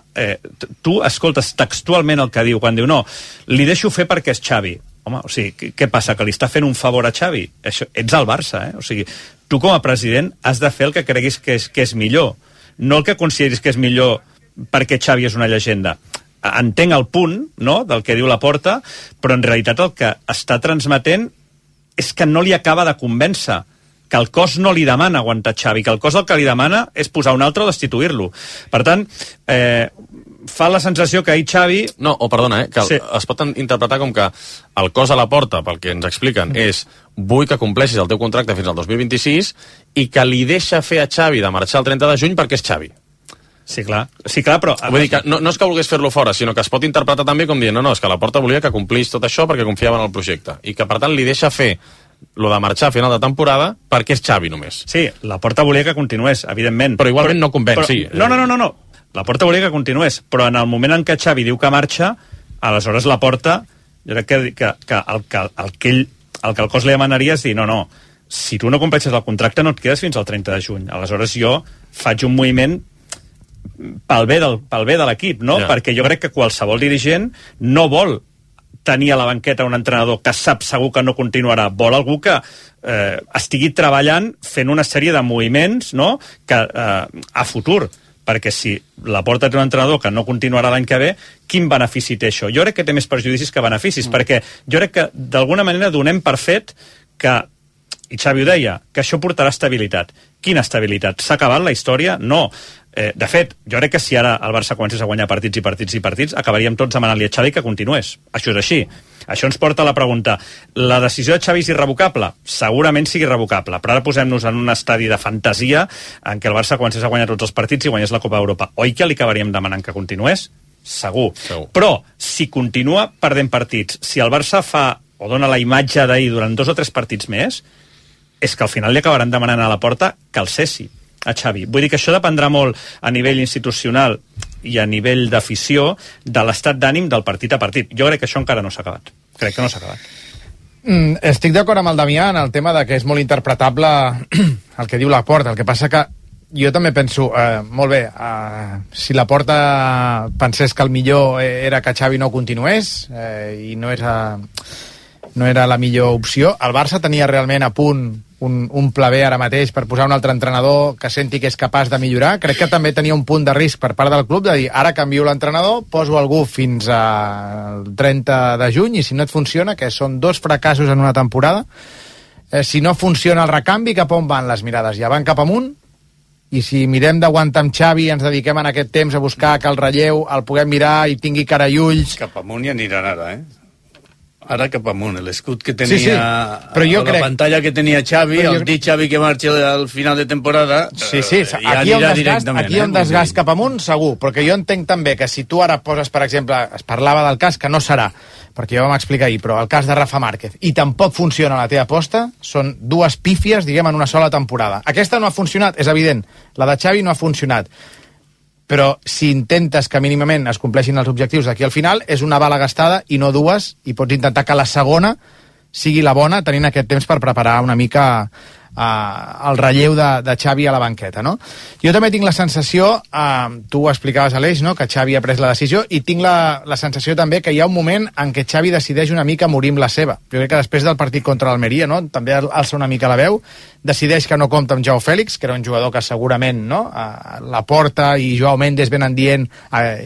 tu escoltes textualment el que diu, quan diu no, li deixo fer perquè és Xavi. Home, o sigui, què passa, que li està fent un favor a Xavi? Ets al Barça, O sigui, tu com a president has de fer el que creguis que és millor, no el que consideris que és millor perquè Xavi és una llegenda. Entenc el punt, no?, del que diu Laporta, però en realitat el que està transmetent és que no li acaba de convèncer, que el cos no li demana aguantar Xavi, que el cos el que li demana és posar un altre o destituir-lo. Per tant, fa la sensació que ahir Xavi... No, perdona, que es pot interpretar com que el cos a Laporta, pel que ens expliquen, és vull que compleixis el teu contracte fins al 2026 i que li deixa fer a Xavi de marxar el 30 de juny perquè és Xavi. Sí, clar, però... Vull dir que no és que volgués fer-lo fora, sinó que es pot interpretar també com dient no, és que Laporta volia que complís tot això perquè confiava en el projecte. I que, per tant, li deixa fer lo de marxar a final de temporada perquè és Xavi només. Sí, Laporta volia que continués, evidentment. Però igualment no convenç, sí. No. Laporta volia que continués, però en el moment en què Xavi diu que marxa, aleshores Laporta, jo crec que el que el cos li demanaria és dir, no, si tu no compleixes el contracte no et quedes fins al 30 de juny. Aleshores jo faig un moviment pel bé de l'equip, no? Perquè jo crec que qualsevol dirigent no vol tenir a la banqueta un entrenador que sap segur que no continuarà, vol algú que estigui treballant fent una sèrie de moviments, no?, que a futur, perquè si Laporta té un entrenador que no continuarà l'any que ve, quin benefici té això? Jo crec que té més perjudicis que beneficis, perquè jo crec que d'alguna manera donem per fet que, i Xavi ho deia, que això portarà estabilitat. Quina estabilitat? S'ha acabat la història? No. De fet, jo crec que si ara el Barça comencés a guanyar partits, acabaríem tots demanant-li a Xavi que continués. Això és així. Això ens porta a la pregunta, la decisió de Xavi és irrevocable? Segurament sigui irrevocable, però ara posem-nos en un estadi de fantasia en què el Barça comencés a guanyar tots els partits i guanyés la Copa d'Europa. Oi que li acabaríem demanant que continués? Segur. Però, si continua perdent partits, si el Barça fa o dona la imatge d'ahir durant 2 o 3 partits més, és que al final li acabaran demanant a Laporta que el cessi a Xavi. Vull dir que això dependrà molt a nivell institucional i a nivell d'afició de l'estat d'ànim del partit a partit. Jo crec que això encara no s'ha acabat. Crec que no s'ha acabat. Estic d'acord amb el Damià en el tema de que és molt interpretable el que diu Laporta. El que passa que jo també penso, molt bé, si Laporta pensés que el millor era que Xavi no continués i no era la millor opció, el Barça tenia realment a punt un pla B ara mateix per posar un altre entrenador que senti que és capaç de millorar. Crec que també tenia un punt de risc per part del club de dir, ara canvio l'entrenador, poso algú fins al 30 de juny i si no et funciona, que són 2 fracassos en una temporada, si no funciona el recanvi, cap on van les mirades? Ja van cap amunt? I si mirem d'aguantar amb Xavi i ens dediquem en aquest temps a buscar que el relleu el puguem mirar i tingui cara i ulls... Cap amunt ja aniran ara, Ara cap amunt, l'escut que tenia... Sí. Però jo crec... La pantalla que tenia Xavi, el dit Xavi que marxa al final de temporada... Sí, ja aquí anirà directament. Aquí hi ha un desgast cap amunt, segur, perquè jo entenc també que si tu ara poses, per exemple, es parlava del cas que no serà, perquè ja vam explicar ahir, però el cas de Rafa Márquez, i tampoc funciona la teva aposta, són 2 pífies, diguem, en una sola temporada. Aquesta no ha funcionat, és evident, la de Xavi no ha funcionat, però si intentes que mínimament es compleixin els objectius d'aquí al final, és una bala gastada i no 2, i pots intentar que la segona sigui la bona, tenint aquest temps per preparar una mica el relleu de Xavi a la banqueta, no? Jo també tinc la sensació, tu ho explicaves, Aleix, no?, que Xavi ha pres la decisió, i tinc la sensació també que hi ha un moment en què Xavi decideix una mica morir amb la seva. Jo crec que després del partit contra l'Almeria, no?, també alça una mica la veu, decideix que no compta amb Joao Fèlix, que era un jugador que segurament, no?, Laporta i Joao Mendes venen dient...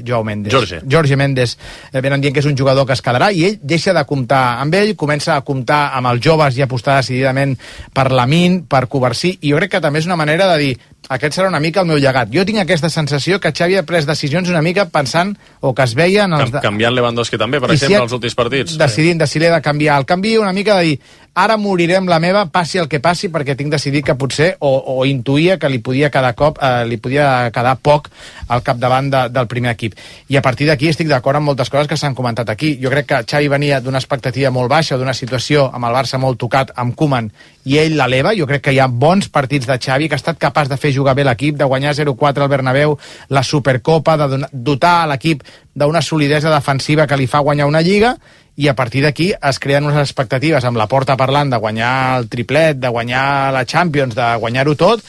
Jorge Mendes venen dient que és un jugador que es quedarà, i ell deixa de comptar amb ell, comença a comptar amb els joves i apostar decididament per Lamine, per Covarsí, i jo crec que també és una manera de dir, aquest serà una mica el meu llegat. Jo tinc aquesta sensació que Xavi ha pres decisions una mica pensant, o que es veia... Canviant Lewandowski també, per exemple, als últims partits. Decidint si l'he de canviar el canvi, una mica de dir, ara moriré amb la meva, passi el que passi, perquè tinc decidit que potser, o intuïa que li podia quedar poc al capdavant del primer equip. I a partir d'aquí estic d'acord amb moltes coses que s'han comentat aquí. Jo crec que Xavi venia d'una expectativa molt baixa, d'una situació amb el Barça molt tocat, amb Koeman, i ell l'eleva. Jo crec que hi ha bons partits de Xavi, que ha estat capaç de fer jugar bé l'equip, de guanyar 0-4 al Bernabéu, la Supercopa, de dotar a l'equip d'una solidesa defensiva que li fa guanyar una Lliga, i a partir d'aquí es creen unes expectatives amb Laporta parlant de guanyar el triplet, de guanyar la Champions, de guanyar-ho tot,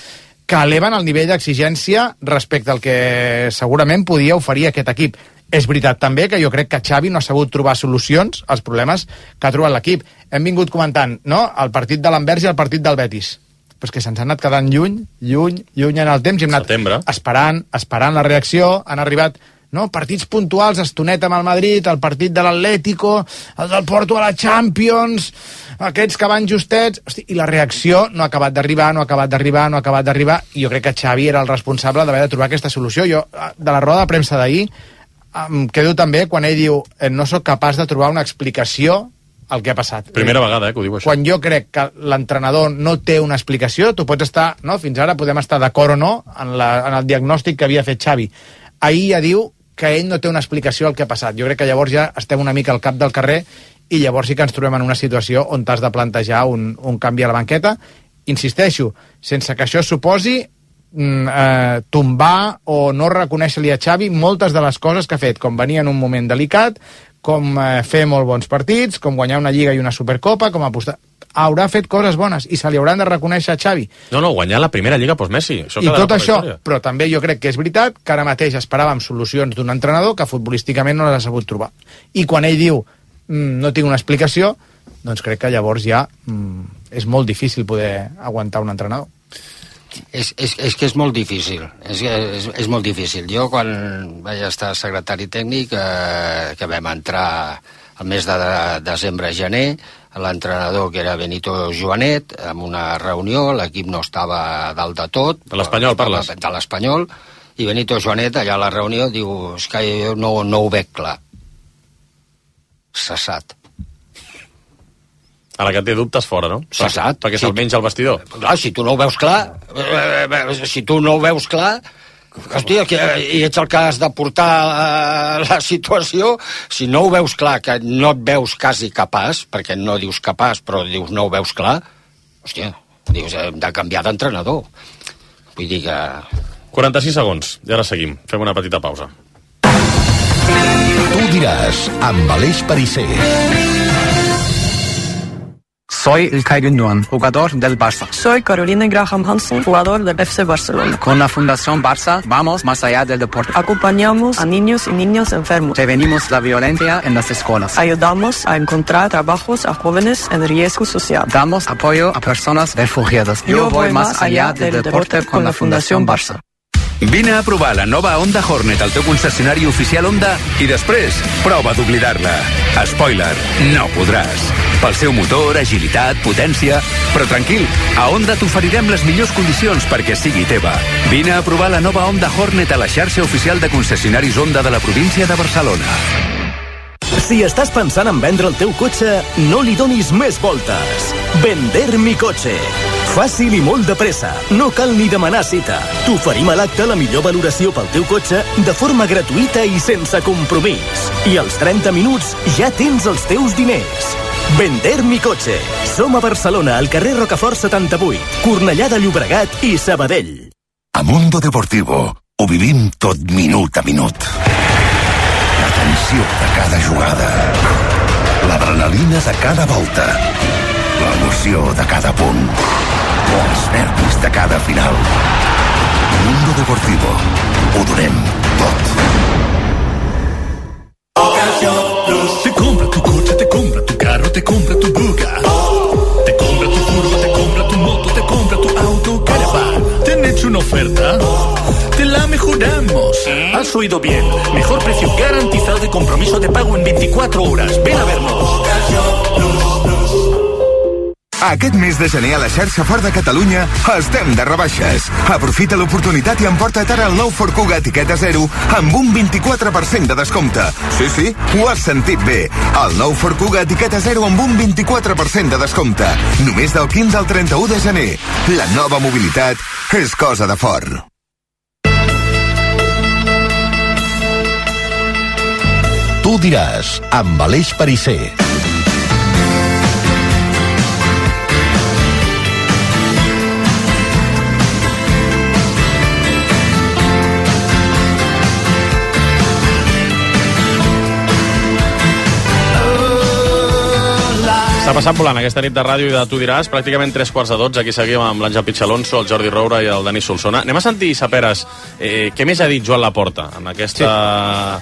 que eleven el nivell d'exigència respecte al que segurament podia oferir aquest equip. És veritat també que jo crec que Xavi no ha sabut trobar solucions als problemes que ha trobat l'equip. Hem vingut comentant, no?, el partit de l'Anvers i el partit del Betis. Però és que se'ns ha anat quedant lluny en el temps, i hem anat esperant la reacció, han arribat... No? Partits puntuals, estonet amb el Madrid, el partit de l'Atlético, el del Porto a la Champions, aquests que van justets... Hosti, i la reacció no ha acabat d'arribar, i jo crec que Xavi era el responsable d'haver de trobar aquesta solució. Jo, de la roda de premsa d'ahir, em quedo també quan ell diu no sóc capaç de trobar una explicació al que ha passat. Primera vegada que ho diu, això. Quan jo crec que l'entrenador no té una explicació, tu pots estar, no? Fins ara podem estar d'acord o no en el diagnòstic que havia fet Xavi. Ahir ja diu que ell no té una explicació al que ha passat. Jo crec que llavors ja estem una mica al cap del carrer, i llavors sí que ens trobem en una situació on t'has de plantejar un canvi a la banqueta. Insisteixo, sense que això suposi tombar o no reconèixer-li a Xavi moltes de les coses que ha fet, com venir en un moment delicat, com fer molt bons partits, com guanyar una Lliga i una Supercopa, com apostar... Haurà fet coses bones i se li hauran de reconèixer a Xavi. No, guanyar la primera Lliga post-Messi. I tot això, però també jo crec que és veritat que ara mateix esperàvem solucions d'un entrenador que futbolísticament no les ha sabut trobar. I quan ell diu no tinc una explicació, doncs crec que llavors ja és molt difícil poder aguantar un entrenador. És que és molt difícil. És molt difícil. Jo, quan vaig estar secretari tècnic, que vam entrar el mes de desembre-gener, l'entrenador, que era Benito Joanet, en una reunió, l'equip no estava dalt de tot. De l'Espanyol parles? De l'Espanyol, i Benito Joanet, allà a la reunió, diu, és que jo no ho veig clar. Cessat. A la que té dubtes fora, no? Cessat. Perquè se'l menja al vestidor. Clar, si tu no ho veus clar, hòstia, i ets el que has de portar la situació. Si no ho veus clar, que no et veus quasi capaç, perquè no dius capaç, però dius no ho veus clar, hòstia, dius, hem de canviar d'entrenador. Vull dir que... 46 segons, i ara seguim. Fem una petita pausa. Tu diràs, amb Aleix Pariser. Soy Ilkay Gündoğan, jugador del Barça. Soy Carolina Graham Hansen, jugador del FC Barcelona. Con la Fundación Barça vamos más allá del deporte. Acompañamos a niños y niñas enfermos. Prevenimos la violencia en las escuelas. Ayudamos a encontrar trabajos a jóvenes en riesgo social. Damos apoyo a personas refugiadas. Yo voy más allá del deporte con la Fundación Barça. Vine a provar la nova Honda Hornet al teu concessionari oficial Honda i després prova d'oblidar-la. Spoiler, no podràs. Pel seu motor, agilitat, potència... Però tranquil, a Honda t'oferirem les millors condicions perquè sigui teva. Vine a provar la nova Honda Hornet a la xarxa oficial de concessionaris Honda de la província de Barcelona. Si estàs pensant en vendre el teu cotxe, no li donis més voltes. Vender mi cotxe. Fàcil i molt de pressa. No cal ni demanar cita. T'oferim a l'acte la millor valoració pel teu cotxe de forma gratuïta i sense compromís. I als 30 minuts ja tens els teus diners. Vender mi cotxe. Som a Barcelona, al carrer Rocafort 78, Cornellà de Llobregat i Sabadell. A Mundo Deportivo ho vivim tot minut a minut. La tensió de cada jugada, l'adrenalina de cada volta, l'emoció de cada punt, els nervis de cada final. A Mundo Deportivo ho donem tot. Te compra tu coche, te compra tu carro, te compra tu Buga. Te compra tu furgo, te compra tu moto, te compra tu auto, caravan. ¿Te han hecho una oferta? Te la mejoramos. Has oído bien. Mejor precio garantizado y compromiso de pago en 24 horas. Ven a vernos. Aquest mes de gener a la xarxa Ford de Catalunya estem de rebaixes. Aprofita l'oportunitat i emporta't ara el nou Ford Kuga etiqueta 0 amb un 24% de descompte. Sí, ho has sentit bé. El nou Ford Kuga etiqueta 0 amb un 24% de descompte. Només del 15 al 31 de gener. La nova mobilitat és cosa de Ford. Tu diràs, amb Aleix Pariser. Està passant volant aquesta nit de ràdio i de Tu diràs, pràcticament 3:45. Aquí seguim amb l'Àngel Pichalonso, el Jordi Roura i el Dani Solsona. Anem a sentir, Saperes, què més ha dit Joan Laporta en aquesta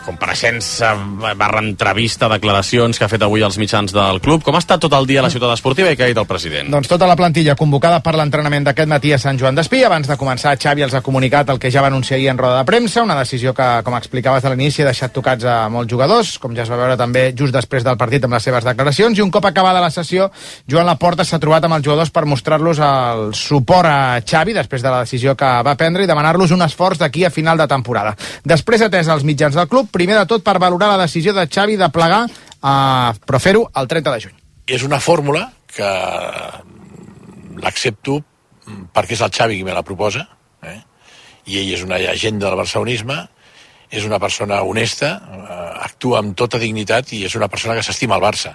compareixença barra entrevista, declaracions que ha fet avui als mitjans del club. Com ha estat tot el dia a la ciutat esportiva i què ha dit el president? Doncs tota la plantilla convocada per l'entrenament d'aquest matí a Sant Joan d'Espí. Abans de començar, Xavi els ha comunicat el que ja va anunciar ahir en roda de premsa, una decisió que, com explicaves de l'inici, ha deixat tocats a molts jugadors, com ja es va veure també just després del partit amb les seves declaracions, i un cop acabada la sessió, Joan Laporta s'ha trobat amb els jugadors per mostrar-los el suport a Xavi després de la decisió que va prendre i demanar-los un esforç d'aquí a final de temporada. Després ha atès els mitjans del club, primer de tot per valorar la decisió de Xavi de plegar, però fer-ho el 30 de juny. És una fórmula que l'accepto perquè és el Xavi qui me la proposa, i ell és una llegenda del barcelonisme, és una persona honesta, actua amb tota dignitat i és una persona que s'estima el Barça.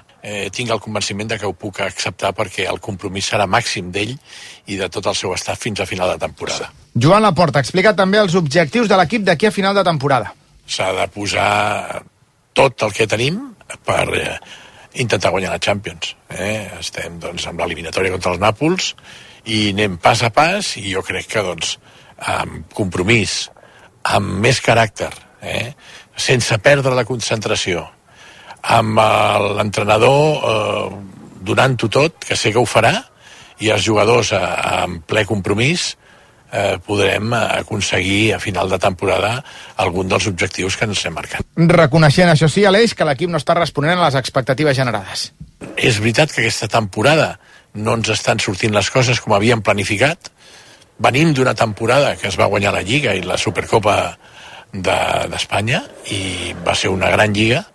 Tinc el convenciment de que ho puc acceptar perquè el compromís serà màxim d'ell i de tot el seu staff fins a final de temporada. Joan Laporta explica també els objectius de l'equip d'aquí a final de temporada. S'ha de posar tot el que tenim per intentar guanyar la Champions. Estem amb l'eliminatòria contra els Nàpols i anem pas a pas i jo crec que amb compromís, amb més caràcter, sense perdre la concentració, amb l'entrenador donant-ho tot, que sé que ho farà, i els jugadors amb ple compromís, podrem aconseguir a final de temporada algun dels objectius que ens hem marcat. Reconeixent, això sí, Aleix, que l'equip no està responent a les expectatives generades. És veritat que aquesta temporada no ens estan sortint les coses com havíem planificat. Venim d'una temporada que es va guanyar la Lliga i la Supercopa d'Espanya i va ser una gran lliga,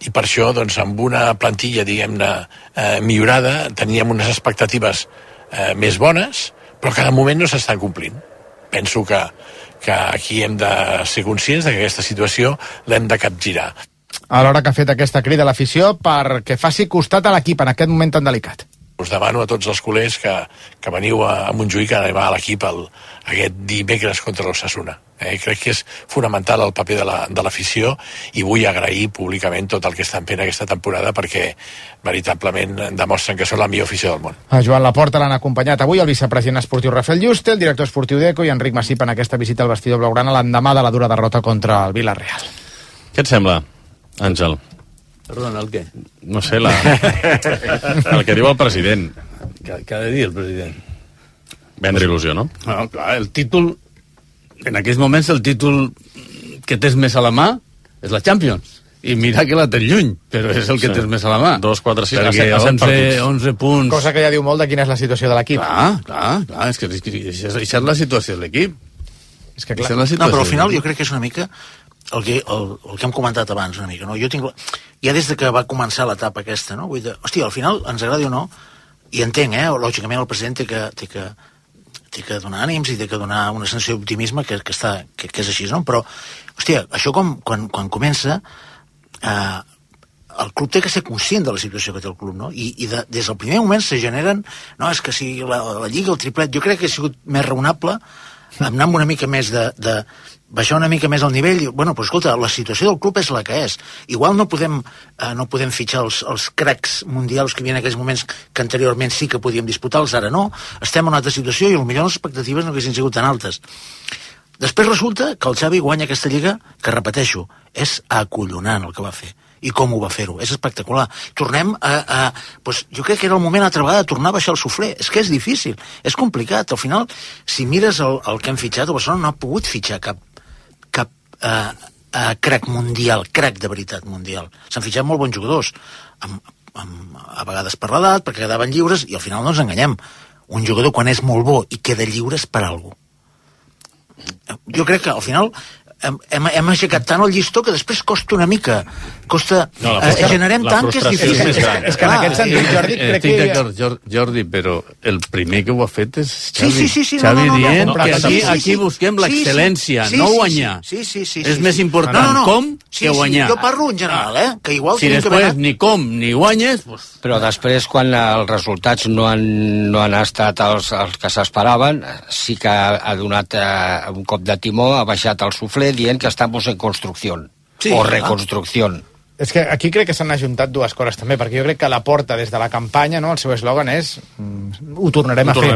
i per això, amb una plantilla, diguem-ne, millorada, teníem unes expectatives més bones, però cada moment no s'estan complint. Penso que aquí hem de ser conscients que aquesta situació l'hem de capgirar. Alhora que ha fet aquesta crida a l'afició perquè faci costat a l'equip en aquest moment tan delicat. Us demano a tots els culers que veniu a Montjuïc a animar a l'equip aquest dimecres contra l'Osasuna. Crec que és fonamental el paper de l'afició i vull agrair públicament tot el que estan fent aquesta temporada perquè veritablement demostren que són la millor afició del món. A Joan Laporta l'han acompanyat avui el vicepresident esportiu Rafael Juste, el director esportiu d'Eco i Enric Masip en aquesta visita al vestidor blaugrana l'endemà de la dura derrota contra el Villarreal. Què et sembla, Àngel? Perdona, el què? No sé, el que diu el president. Què ha de dir el president? Vendre il·lusió, no? No, clar, el títol... En aquells moments el títol que tens més a la mà és la Champions. I mira que la tens lluny, però és el que tens més a la mà. 2, 4, 6, perquè 11 punts... Cosa que ja diu molt de quina és la situació de l'equip. Clar, és que això és la situació de l'equip. És que clar. No, però al final jo crec que és una mica el que hem comentat abans una mica, no? Jo tinc... Ja des de que va començar l'etapa aquesta, no? Vull dir, hòstia, al final, ens agradi o no, i entenc, lògicament el president té que donar ànims i té que donar una sensació d'optimisme que és així, no? Però, hòstia, això quan comença, el club té que ser conscient de la situació que té el club, no? I des del primer moment se generen... No, és que si la Lliga, el triplet... Jo crec que ha sigut més raonable anar amb una mica més de baixar una mica més el nivell. Bueno, però escolta, la situació del club és la que és. Igual no podem fitxar els cracs mundials que hi havia en aquells moments que anteriorment sí que podíem disputar-los, ara no. Estem en una altra situació i potser les expectatives no haguessin sigut tan altes. Després resulta que el Xavi guanya aquesta Lliga, que repeteixo, és acollonant el que va fer. I com ho va fer-ho, és espectacular. Tornem doncs jo crec que era el moment altra vegada de tornar a baixar el suflé. És que és difícil, és complicat. Al final, si mires el que han fitxat, el Barcelona no ha pogut fitxar cap crac mundial, crac de veritat mundial. S'han fitxat molt bons jugadors, a vegades per l'edat, perquè quedaven lliures, i al final no ens enganyem. Un jugador, quan és molt bo i queda lliure, és per alguna cosa. Jo crec que al final hem aixecat tant el llistó que després costa una mica, generem tant que és difícil. És que en aquest sentit, Jordi, crec que... Estic d'acord, Jordi, però el primer que ho ha fet és Xavi. Sí, Xavi dient que aquí busquem l'excel·lència, no guanyar. És més important com que guanyar. Jo parlo en general, que igual... Si després ni com ni guanyes... Però després, quan els resultats no han estat els que s'esperaven, sí que ha donat un cop de timó, ha baixat el suflé dient que estamos en construcción o reconstrucción. És que aquí crec que s'han ajuntat dues coses també, perquè jo crec que la Porta des de la campanya, no, el seu eslògan és ho tornarem a fer.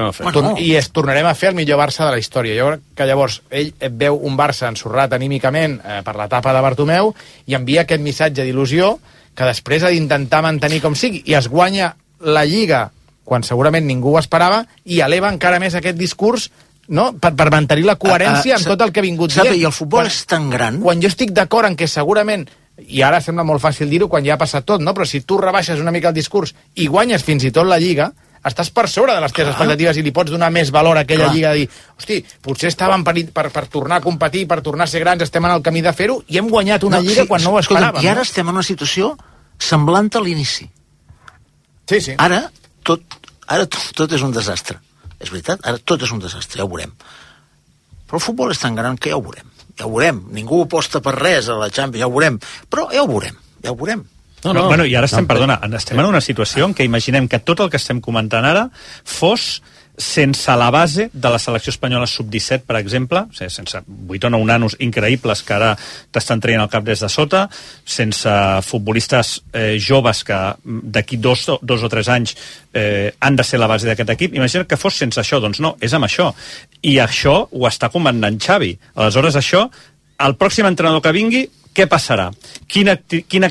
I tornarem a fer el millor Barça de la història. Jo crec que llavors ell veu un Barça ensorrat anímicament per l'etapa de Bartomeu i envia aquest missatge d'il·lusió que després ha d'intentar mantenir com sigui, i es guanya la Lliga quan segurament ningú ho esperava i eleva encara més aquest discurs, no? Per mantenir la coherència amb tot el que ha vingut dient. I el futbol és tan gran... Quan jo estic d'acord en que segurament, i ara sembla molt fàcil dir-ho quan ja ha passat tot, no? Però si tu rebaixes una mica el discurs i guanyes fins i tot la Lliga, estàs per sobre de les teves expectatives i li pots donar més valor a aquella Lliga, de dir, hosti, potser estàvem per tornar a competir, per tornar a ser grans, estem en el camí de fer-ho, i hem guanyat una Lliga quan no ho esperàvem. I ara estem en una situació semblant a l'inici. Sí. Ara tot és un desastre. És veritat, ara tot és un desastre, ja ho veurem. Però el futbol és tan gran que ja ho veurem. Ningú aposta per res a la Champions, ja ho veurem. Però ja ho veurem. Bueno, i ara estem en una situació en què imaginem que tot el que estem comentant ara fos sense la base de la selecció espanyola sub-17, per exemple, sense 8 o 9 nanos increïbles que ara t'estan traient el cap des de sota, sense futbolistes joves que d'aquí 2 o 3 anys han de ser la base d'aquest equip. Imagina't que fos sense això. Doncs no, és amb això. I això ho està comandant Xavi. Aleshores, això, el pròxim entrenador que vingui, què passarà? Quina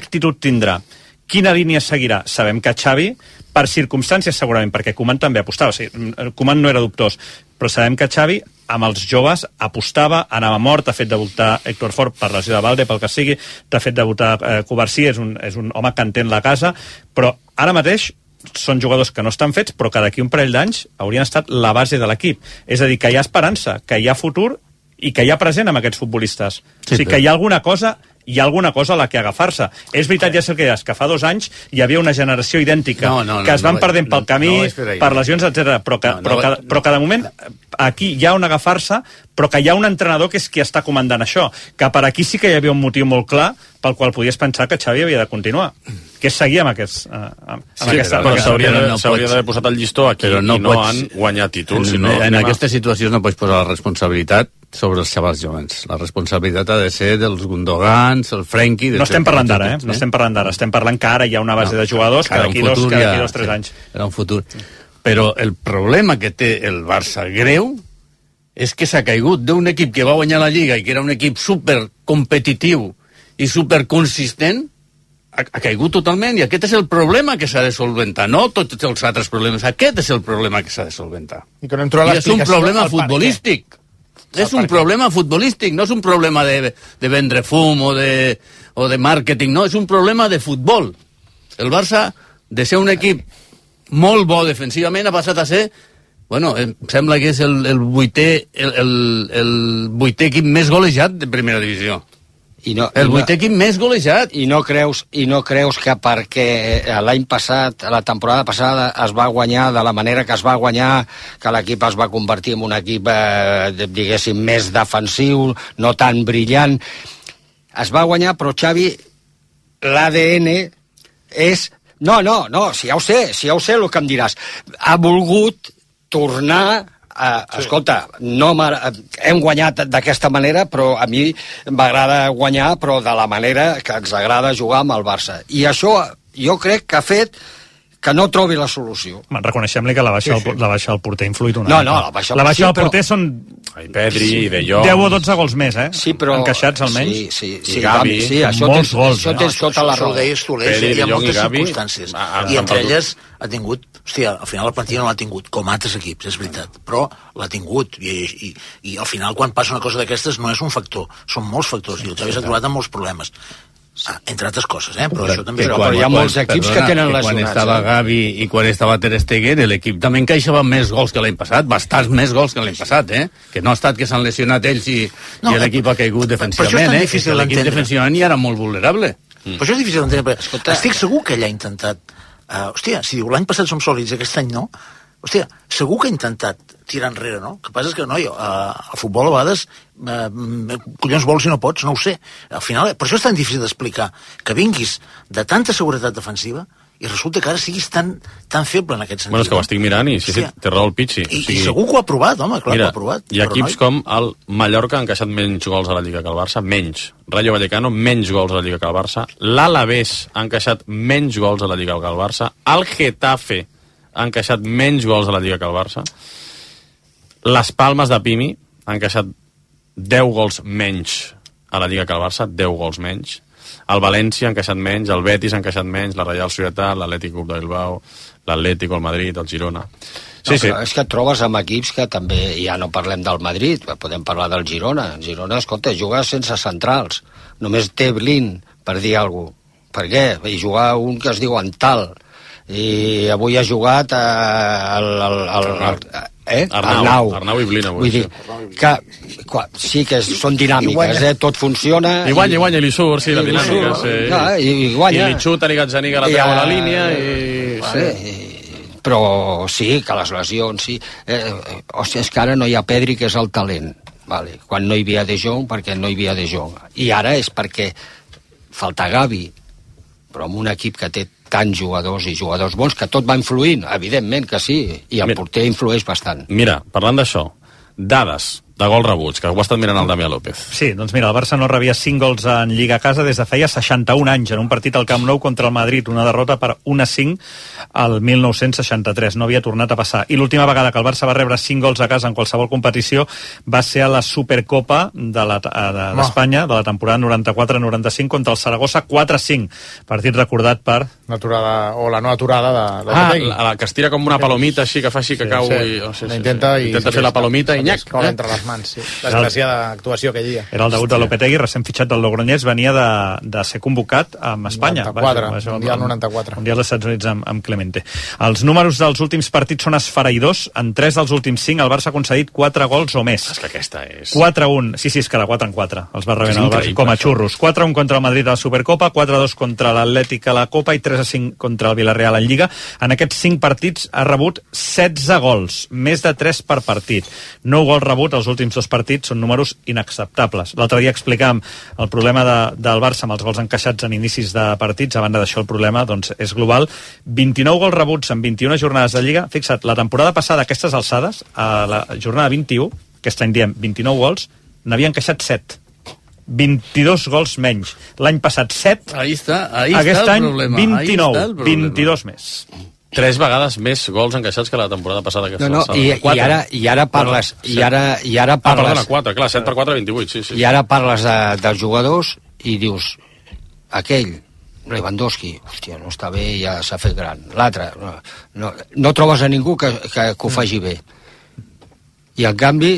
actitud tindrà? Quina línia seguirà? Sabem que Xavi, per circumstàncies segurament, perquè Koeman també apostava, Koeman no era dubtós, però sabem que Xavi amb els joves apostava, anava mort, ha fet debutar Héctor Fort per lesió de Valde, pel que sigui, t'ha fet debutar Covarsí, és un home que entén la casa, però ara mateix són jugadors que no estan fets, però que d'aquí un parell d'anys haurien estat la base de l'equip. És a dir, que hi ha esperança, que hi ha futur i que hi ha present amb aquests futbolistes. O sigui, que hi ha alguna cosa hi ha alguna cosa a la que agafar-se. És veritat, ja sé que fa 2 anys hi havia una generació idèntica que es van perdent pel camí, per lesions, etc. Però que de moment aquí hi ha on agafar-se, però que hi ha un entrenador que és qui està comandant això, que per aquí sí que hi havia un motiu molt clar pel qual podies pensar que Xavi havia de continuar, que és seguir amb aquesta... Però s'hauria d'haver posat el llistó aquí i no han guanyat títols. En aquestes situacions no pots posar la responsabilitat sobre els xavals jovens. La responsabilitat ha de ser dels Gundogans, el Frenkie... No estem parlant d'ara, no estem parlant d'ara. Estem parlant que ara hi ha una base de jugadors que d'aquí 2-3 anys. Era un futur. Però el problema que té el Barça greu és que s'ha caigut d'un equip que va guanyar la Lliga i que era un equip supercompetitiu i superconsistent, ha caigut totalment, i aquest és el problema que s'ha de solventar, no tots els altres problemes. Aquest és el problema que s'ha de solventar. I és un problema futbolístic. És un problema futbolístic, no és un problema de vendre fum o de màrqueting, no, és un problema de futbol. El Barça, de ser un equip molt bo defensivament, ha passat a ser, bueno, em sembla que és el vuitè equip més golejat de primera divisió. El vuitè equip més golejat. I no creus que perquè l'any passat, la temporada passada, es va guanyar de la manera que es va guanyar, que l'equip es va convertir en un equip, diguéssim, més defensiu, no tan brillant. Es va guanyar, però Xavi, l'ADN és... No, si ja ho sé el que em diràs. Ha volgut tornar... Escolta, hem guanyat d'aquesta manera, però a mi m'agrada guanyar, però de la manera que ens agrada jugar amb el Barça. I això jo crec que ha fet que no trobi la solució. Reconeixem-li que la baixa del porter ha influït una mica. La baixa del porter són... Pedri, De Jong... 10 o 12 gols més, Sí, però... encaixats, almenys. Sí, Gavi, molts gols. Això tens tota la raó. Hi ha moltes circumstàncies. I entre elles ha tingut... Hòstia, al final la plantilla no l'ha tingut, com altres equips, és veritat. Però l'ha tingut. I al final, quan passa una cosa d'aquestes, no és un factor. Són molts factors. I el Xavi s'ha trobat amb molts problemes. Entre altres coses, però això també... Però hi ha molts equips que tenen lesionats. Quan estava Gavi i quan estava Ter Stegen, l'equip també encaixava més gols que l'any passat, bastants més gols que l'any passat, que no ha estat que s'han lesionat ells i l'equip ha caigut defensivament, l'equip defensivament ja era molt vulnerable. Però això és difícil d'entendre. Estic segur que ell ha intentat... Hòstia, si diu l'any passat som sòlids, aquest any no... Hòstia, segur que ha intentat tirar enrere, no? El que passa és que, noi, al futbol a vegades collons vols si no pots, no ho sé. Al final, per això és tan difícil d'explicar que vinguis de tanta seguretat defensiva i resulta que ara siguis tan feble en aquest sentit. Bueno, és que ho estic mirant i sí, té raó el Pichi. I segur que ho ha provat, home, clar que ho ha provat. Hi ha equips com el Mallorca han encaixat menys gols a la Lliga que el Barça, menys. Rayo Vallecano, menys gols a la Lliga que el Barça. L'Alavés ha encaixat menys gols a la Lliga que el Barça. El Getafe ha encaixat menys gols a la Lliga que el Barça. Les Palmes de Pimi ha encaixat 10 gols menys a la Lliga que el Barça, 10 gols menys. El València ha encaixat menys, el Betis ha encaixat menys, la Real Societat, l'Atlètic Club de Bilbao, l'Atlético, el Madrid, el Girona. Sí. És que et trobes amb equips que també, ja no parlem del Madrid, podem parlar del Girona. El Girona, escolta, juga sense centrals. Només té Blin, per dir alguna cosa. Per què? I jugar un que es diu Antal. I avui ha jugat Arnau i Blin avui. Vull dir que sí que són dinàmiques, tot funciona. I guanya i li surt, sí, la dinàmica. I guanya. I li xuta, li Gazzaniga la treu a la línia però sí, que les lesions, sí. Hòstia, és que ara no hi ha Pedri, que és el talent. Quan no hi havia De Jong, perquè no hi havia De Jong. I ara és perquè falta Gavi, però amb un equip que té tants jugadors i jugadors bons, que tot va influint, evidentment que sí, i el porter influeix bastant. Mira, parlant d'això, dades de gols rebuts, que ho ha estat mirant el Damià López. Sí, doncs mira, el Barça no rebia 5 gols en Lliga a casa des de feia 61 anys, en un partit al Camp Nou contra el Madrid, una derrota per 1-5 al 1963. No havia tornat a passar. I l'última vegada que el Barça va rebre 5 gols a casa en qualsevol competició va ser a la Supercopa d'Espanya, de la temporada 94-95, contra el Saragossa, 4-5. Partit recordat per... la no aturada de la que es tira com una palomita així, que fa així que cau i... Intenta fer la palomita i nyac. Entre les mans, sí. Desgraciada actuació aquell dia. Era el debut de Lopetegui, recent fitxat del Logroñés, venia de ser convocat amb Espanya. 94, Mundial 94. Mundial dels Estats Units amb Clemente. Els números dels últims partits són esfereïdors. En 3 dels últims 5 el Barça ha concedit 4 gols o més. És que aquesta és... 4-1. Sí, és que de 4 en 4. Els va rebent el Barça com a xurros. 4-1 contra el Madrid a la Supercopa, 4-2 contra l'Atlètic a la Copa i 3-5 contra el Villarreal en Lliga. En aquests 5 partits ha rebut 16 gols, més de 3 per partit. 9 gols rebut als últims 2 partits són números inacceptables. L'altre dia explicàvem el problema del Barça amb els gols encaixats en inicis de partits. A banda d'això, el problema doncs, és global. 29 gols rebuts en 21 jornades de Lliga. Fixa't, la temporada passada, a aquestes alçades, a la jornada 21, aquest any diem 29 gols, n'havia encaixat 7. 22 gols menys. L'any passat 7. Ahí está aquest el any problema. 29, 22 més. 3 vegades més gols encaixats que la temporada passada. I ara parles... perdona, 4, clar, 7 per 4, 28, sí. I ara parles dels jugadors i dius, aquell, Lewandowski, hòstia, no està bé, ja s'ha fet gran. L'altre, no trobes a ningú que ho faci bé. I en canvi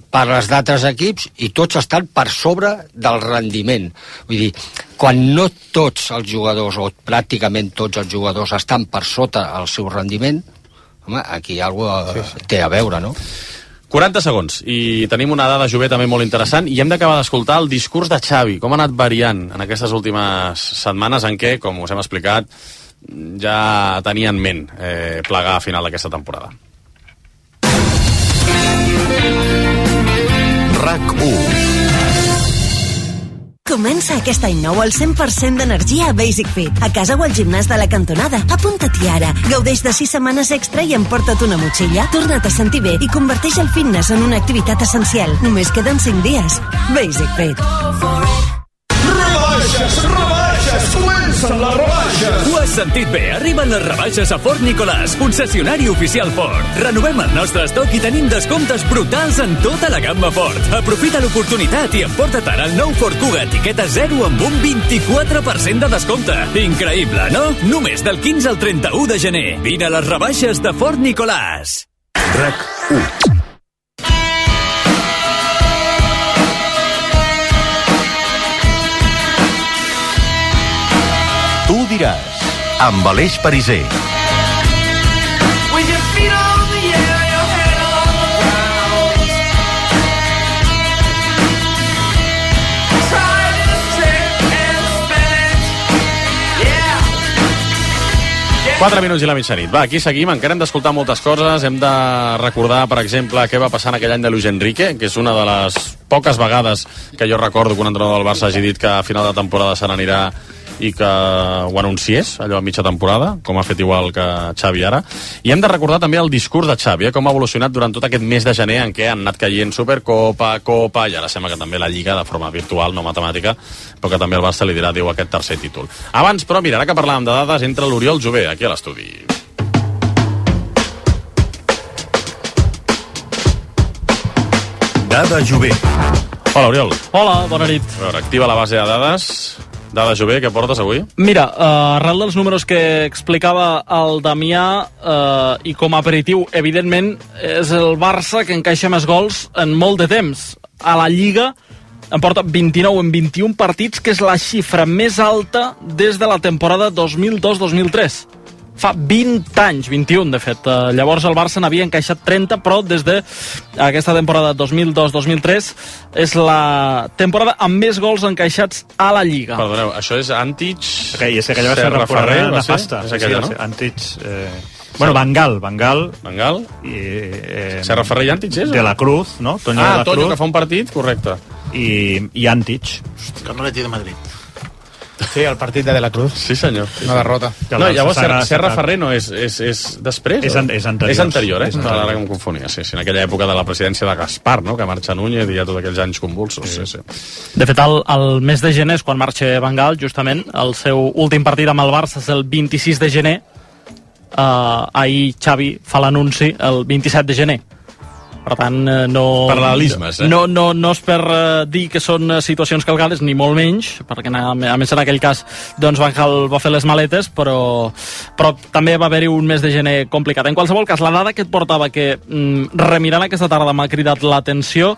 parles d'altres equips i tots estan per sobre del rendiment. Vull dir, quan no tots els jugadors, o pràcticament tots els jugadors, estan per sota el seu rendiment, home, aquí alguna cosa té a veure, no? 40 segons, i tenim una dada, Jové, també molt interessant, i hem d'acabar d'escoltar el discurs de Xavi, com ha anat variant en aquestes últimes setmanes en què, com us hem explicat, ja tenia en ment plegar a final d'aquesta temporada. RAC1. Comença aquest any nou al 100% d'energia a Basic Fit, a casa o al gimnàs de la cantonada. Apunta-t'hi ara. Gaudeix de 6 setmanes extra i emporta't una motxilla. Torna't a sentir bé i converteix el fitness en una activitat essencial. Només queden 5 dies. Basic Fit. Rebaixes, comencen les rebaixes. Ho has sentit bé, arriben les rebaixes a Ford Nicolàs, concessionari oficial Ford. Renovem el nostre estoc i tenim descomptes brutals en tota la gamma Ford. Aprofita l'oportunitat i emporta't ara el nou Ford Kuga etiqueta 0 amb un 24% de descompte. Increïble, no? Només del 15 al 31 de gener. Vine a les rebaixes de Ford Nicolàs. RAC1. Tu diràs, amb Aleix Pariser. Quatre minuts i la mitjanit. Va, aquí seguim, encara hem d'escoltar moltes coses, hem de recordar, per exemple, què va passar en aquell any de Luis Enrique, que és una de les poques vegades que jo recordo que un entrenador del Barça hagi dit que a final de temporada se n'anirà i que ho anunciés, allò a mitja temporada, com ha fet igual que Xavi ara. I hem de recordar també el discurs de Xavi, com ha evolucionat durant tot aquest mes de gener en què han anat caient Supercopa, Copa, i ara sembla que també la Lliga de forma virtual, no matemàtica, però que també el Barça li dirà adéu a aquest tercer títol. Abans, però, mira, ara que parlàvem de dades, entra l'Oriol Jové, aquí a l'estudi. Dada Jové. Hola, Oriol. Hola, bona nit. A veure, activa la base de dades. Dada Jové, què portes avui? Mira, arrel dels números que explicava el Damià, i com a aperitiu, evidentment, és el Barça que encaixa més gols en molt de temps. A la Lliga en porta 29 en 21 partits, que és la xifra més alta des de la temporada 2002-2003. Fa 20 anys, 21 de fet. Llavors el Barça n'havia encaixat 30, però des d'aquesta temporada 2002-2003 és la temporada amb més gols encaixats a la Lliga. Perdoneu, això és Antic... Okay, aquella va ser una temporada nefasta. És aquella, no? Antic... Bueno, Bangal. I, Serra Ferrer i Antic és? De la Cruz, no? Toño de la Cruz. Toño, que fa un partit, correcte. I Antic. Carmeleti de Madrid. Sí, el partit de la Cruz. Sí, senyor. Una derrota. No, llavors Serra Ferrer no és després? És anterior. És anterior, eh? Ara que em confonia, sí. En aquella època de la presidència de Gaspar, no? Que marxa Núñez i hi ha tots aquells anys convulsos. Sí. De fet, el mes de gener és quan marxa Bangal, justament. El seu últim partit amb el Barça és el 26 de gener. Ahir Xavi fa l'anunci el 27 de gener. Per tant, no... Paral·lelismes, No és per dir que són situacions calcades, ni molt menys, perquè a més en aquell cas doncs Van Gaal va fer les maletes, però també va haver-hi un mes de gener complicat. En qualsevol cas, la dada que et portava, que remirant aquesta tarda m'ha cridat l'atenció,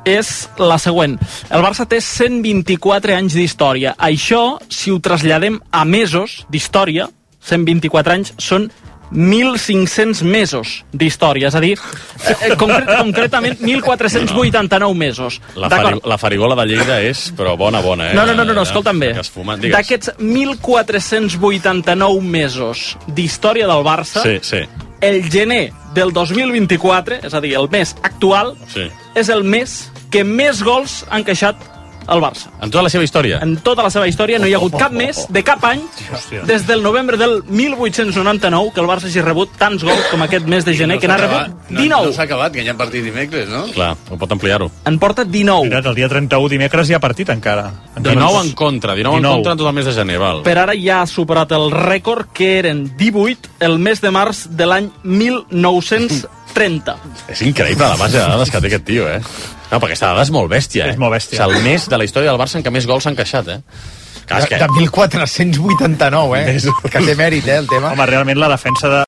és la següent. El Barça té 124 anys d'història. Això, si ho traslladem a mesos d'història, 124 anys són 1.500 mesos d'història, és a dir, concretament 1.489 mesos. La farigola de Lleida és, però bona, No, escolta'm bé. D'aquests 1.489 mesos d'història del Barça, el gener del 2024, és a dir, el mes actual, és el mes que més gols han encaixat el Barça. En tota la seva història? En tota la seva història no hi ha hagut cap mes de cap any des del novembre del 1899 que el Barça hagi rebut tants gols com aquest mes de gener, que n'ha rebut 19. No s'ha acabat, que hi ha partit dimecres, no? Clar, ho pot ampliar-ho. En porta 19. Mirat, el dia 31 dimecres hi ha partit encara. 19 en contra en tot el mes de gener, val. Per ara ja ha superat el rècord, que eren 18 el mes de març de l'any 1930. És increïble la base de dades que té aquest tio, No, perquè aquesta dada és molt bèstia, És molt bèstia. És el mes de la història del Barça en què més gols s'han encaixat, De 1489, Que té mèrit, el tema. Home, realment la defensa de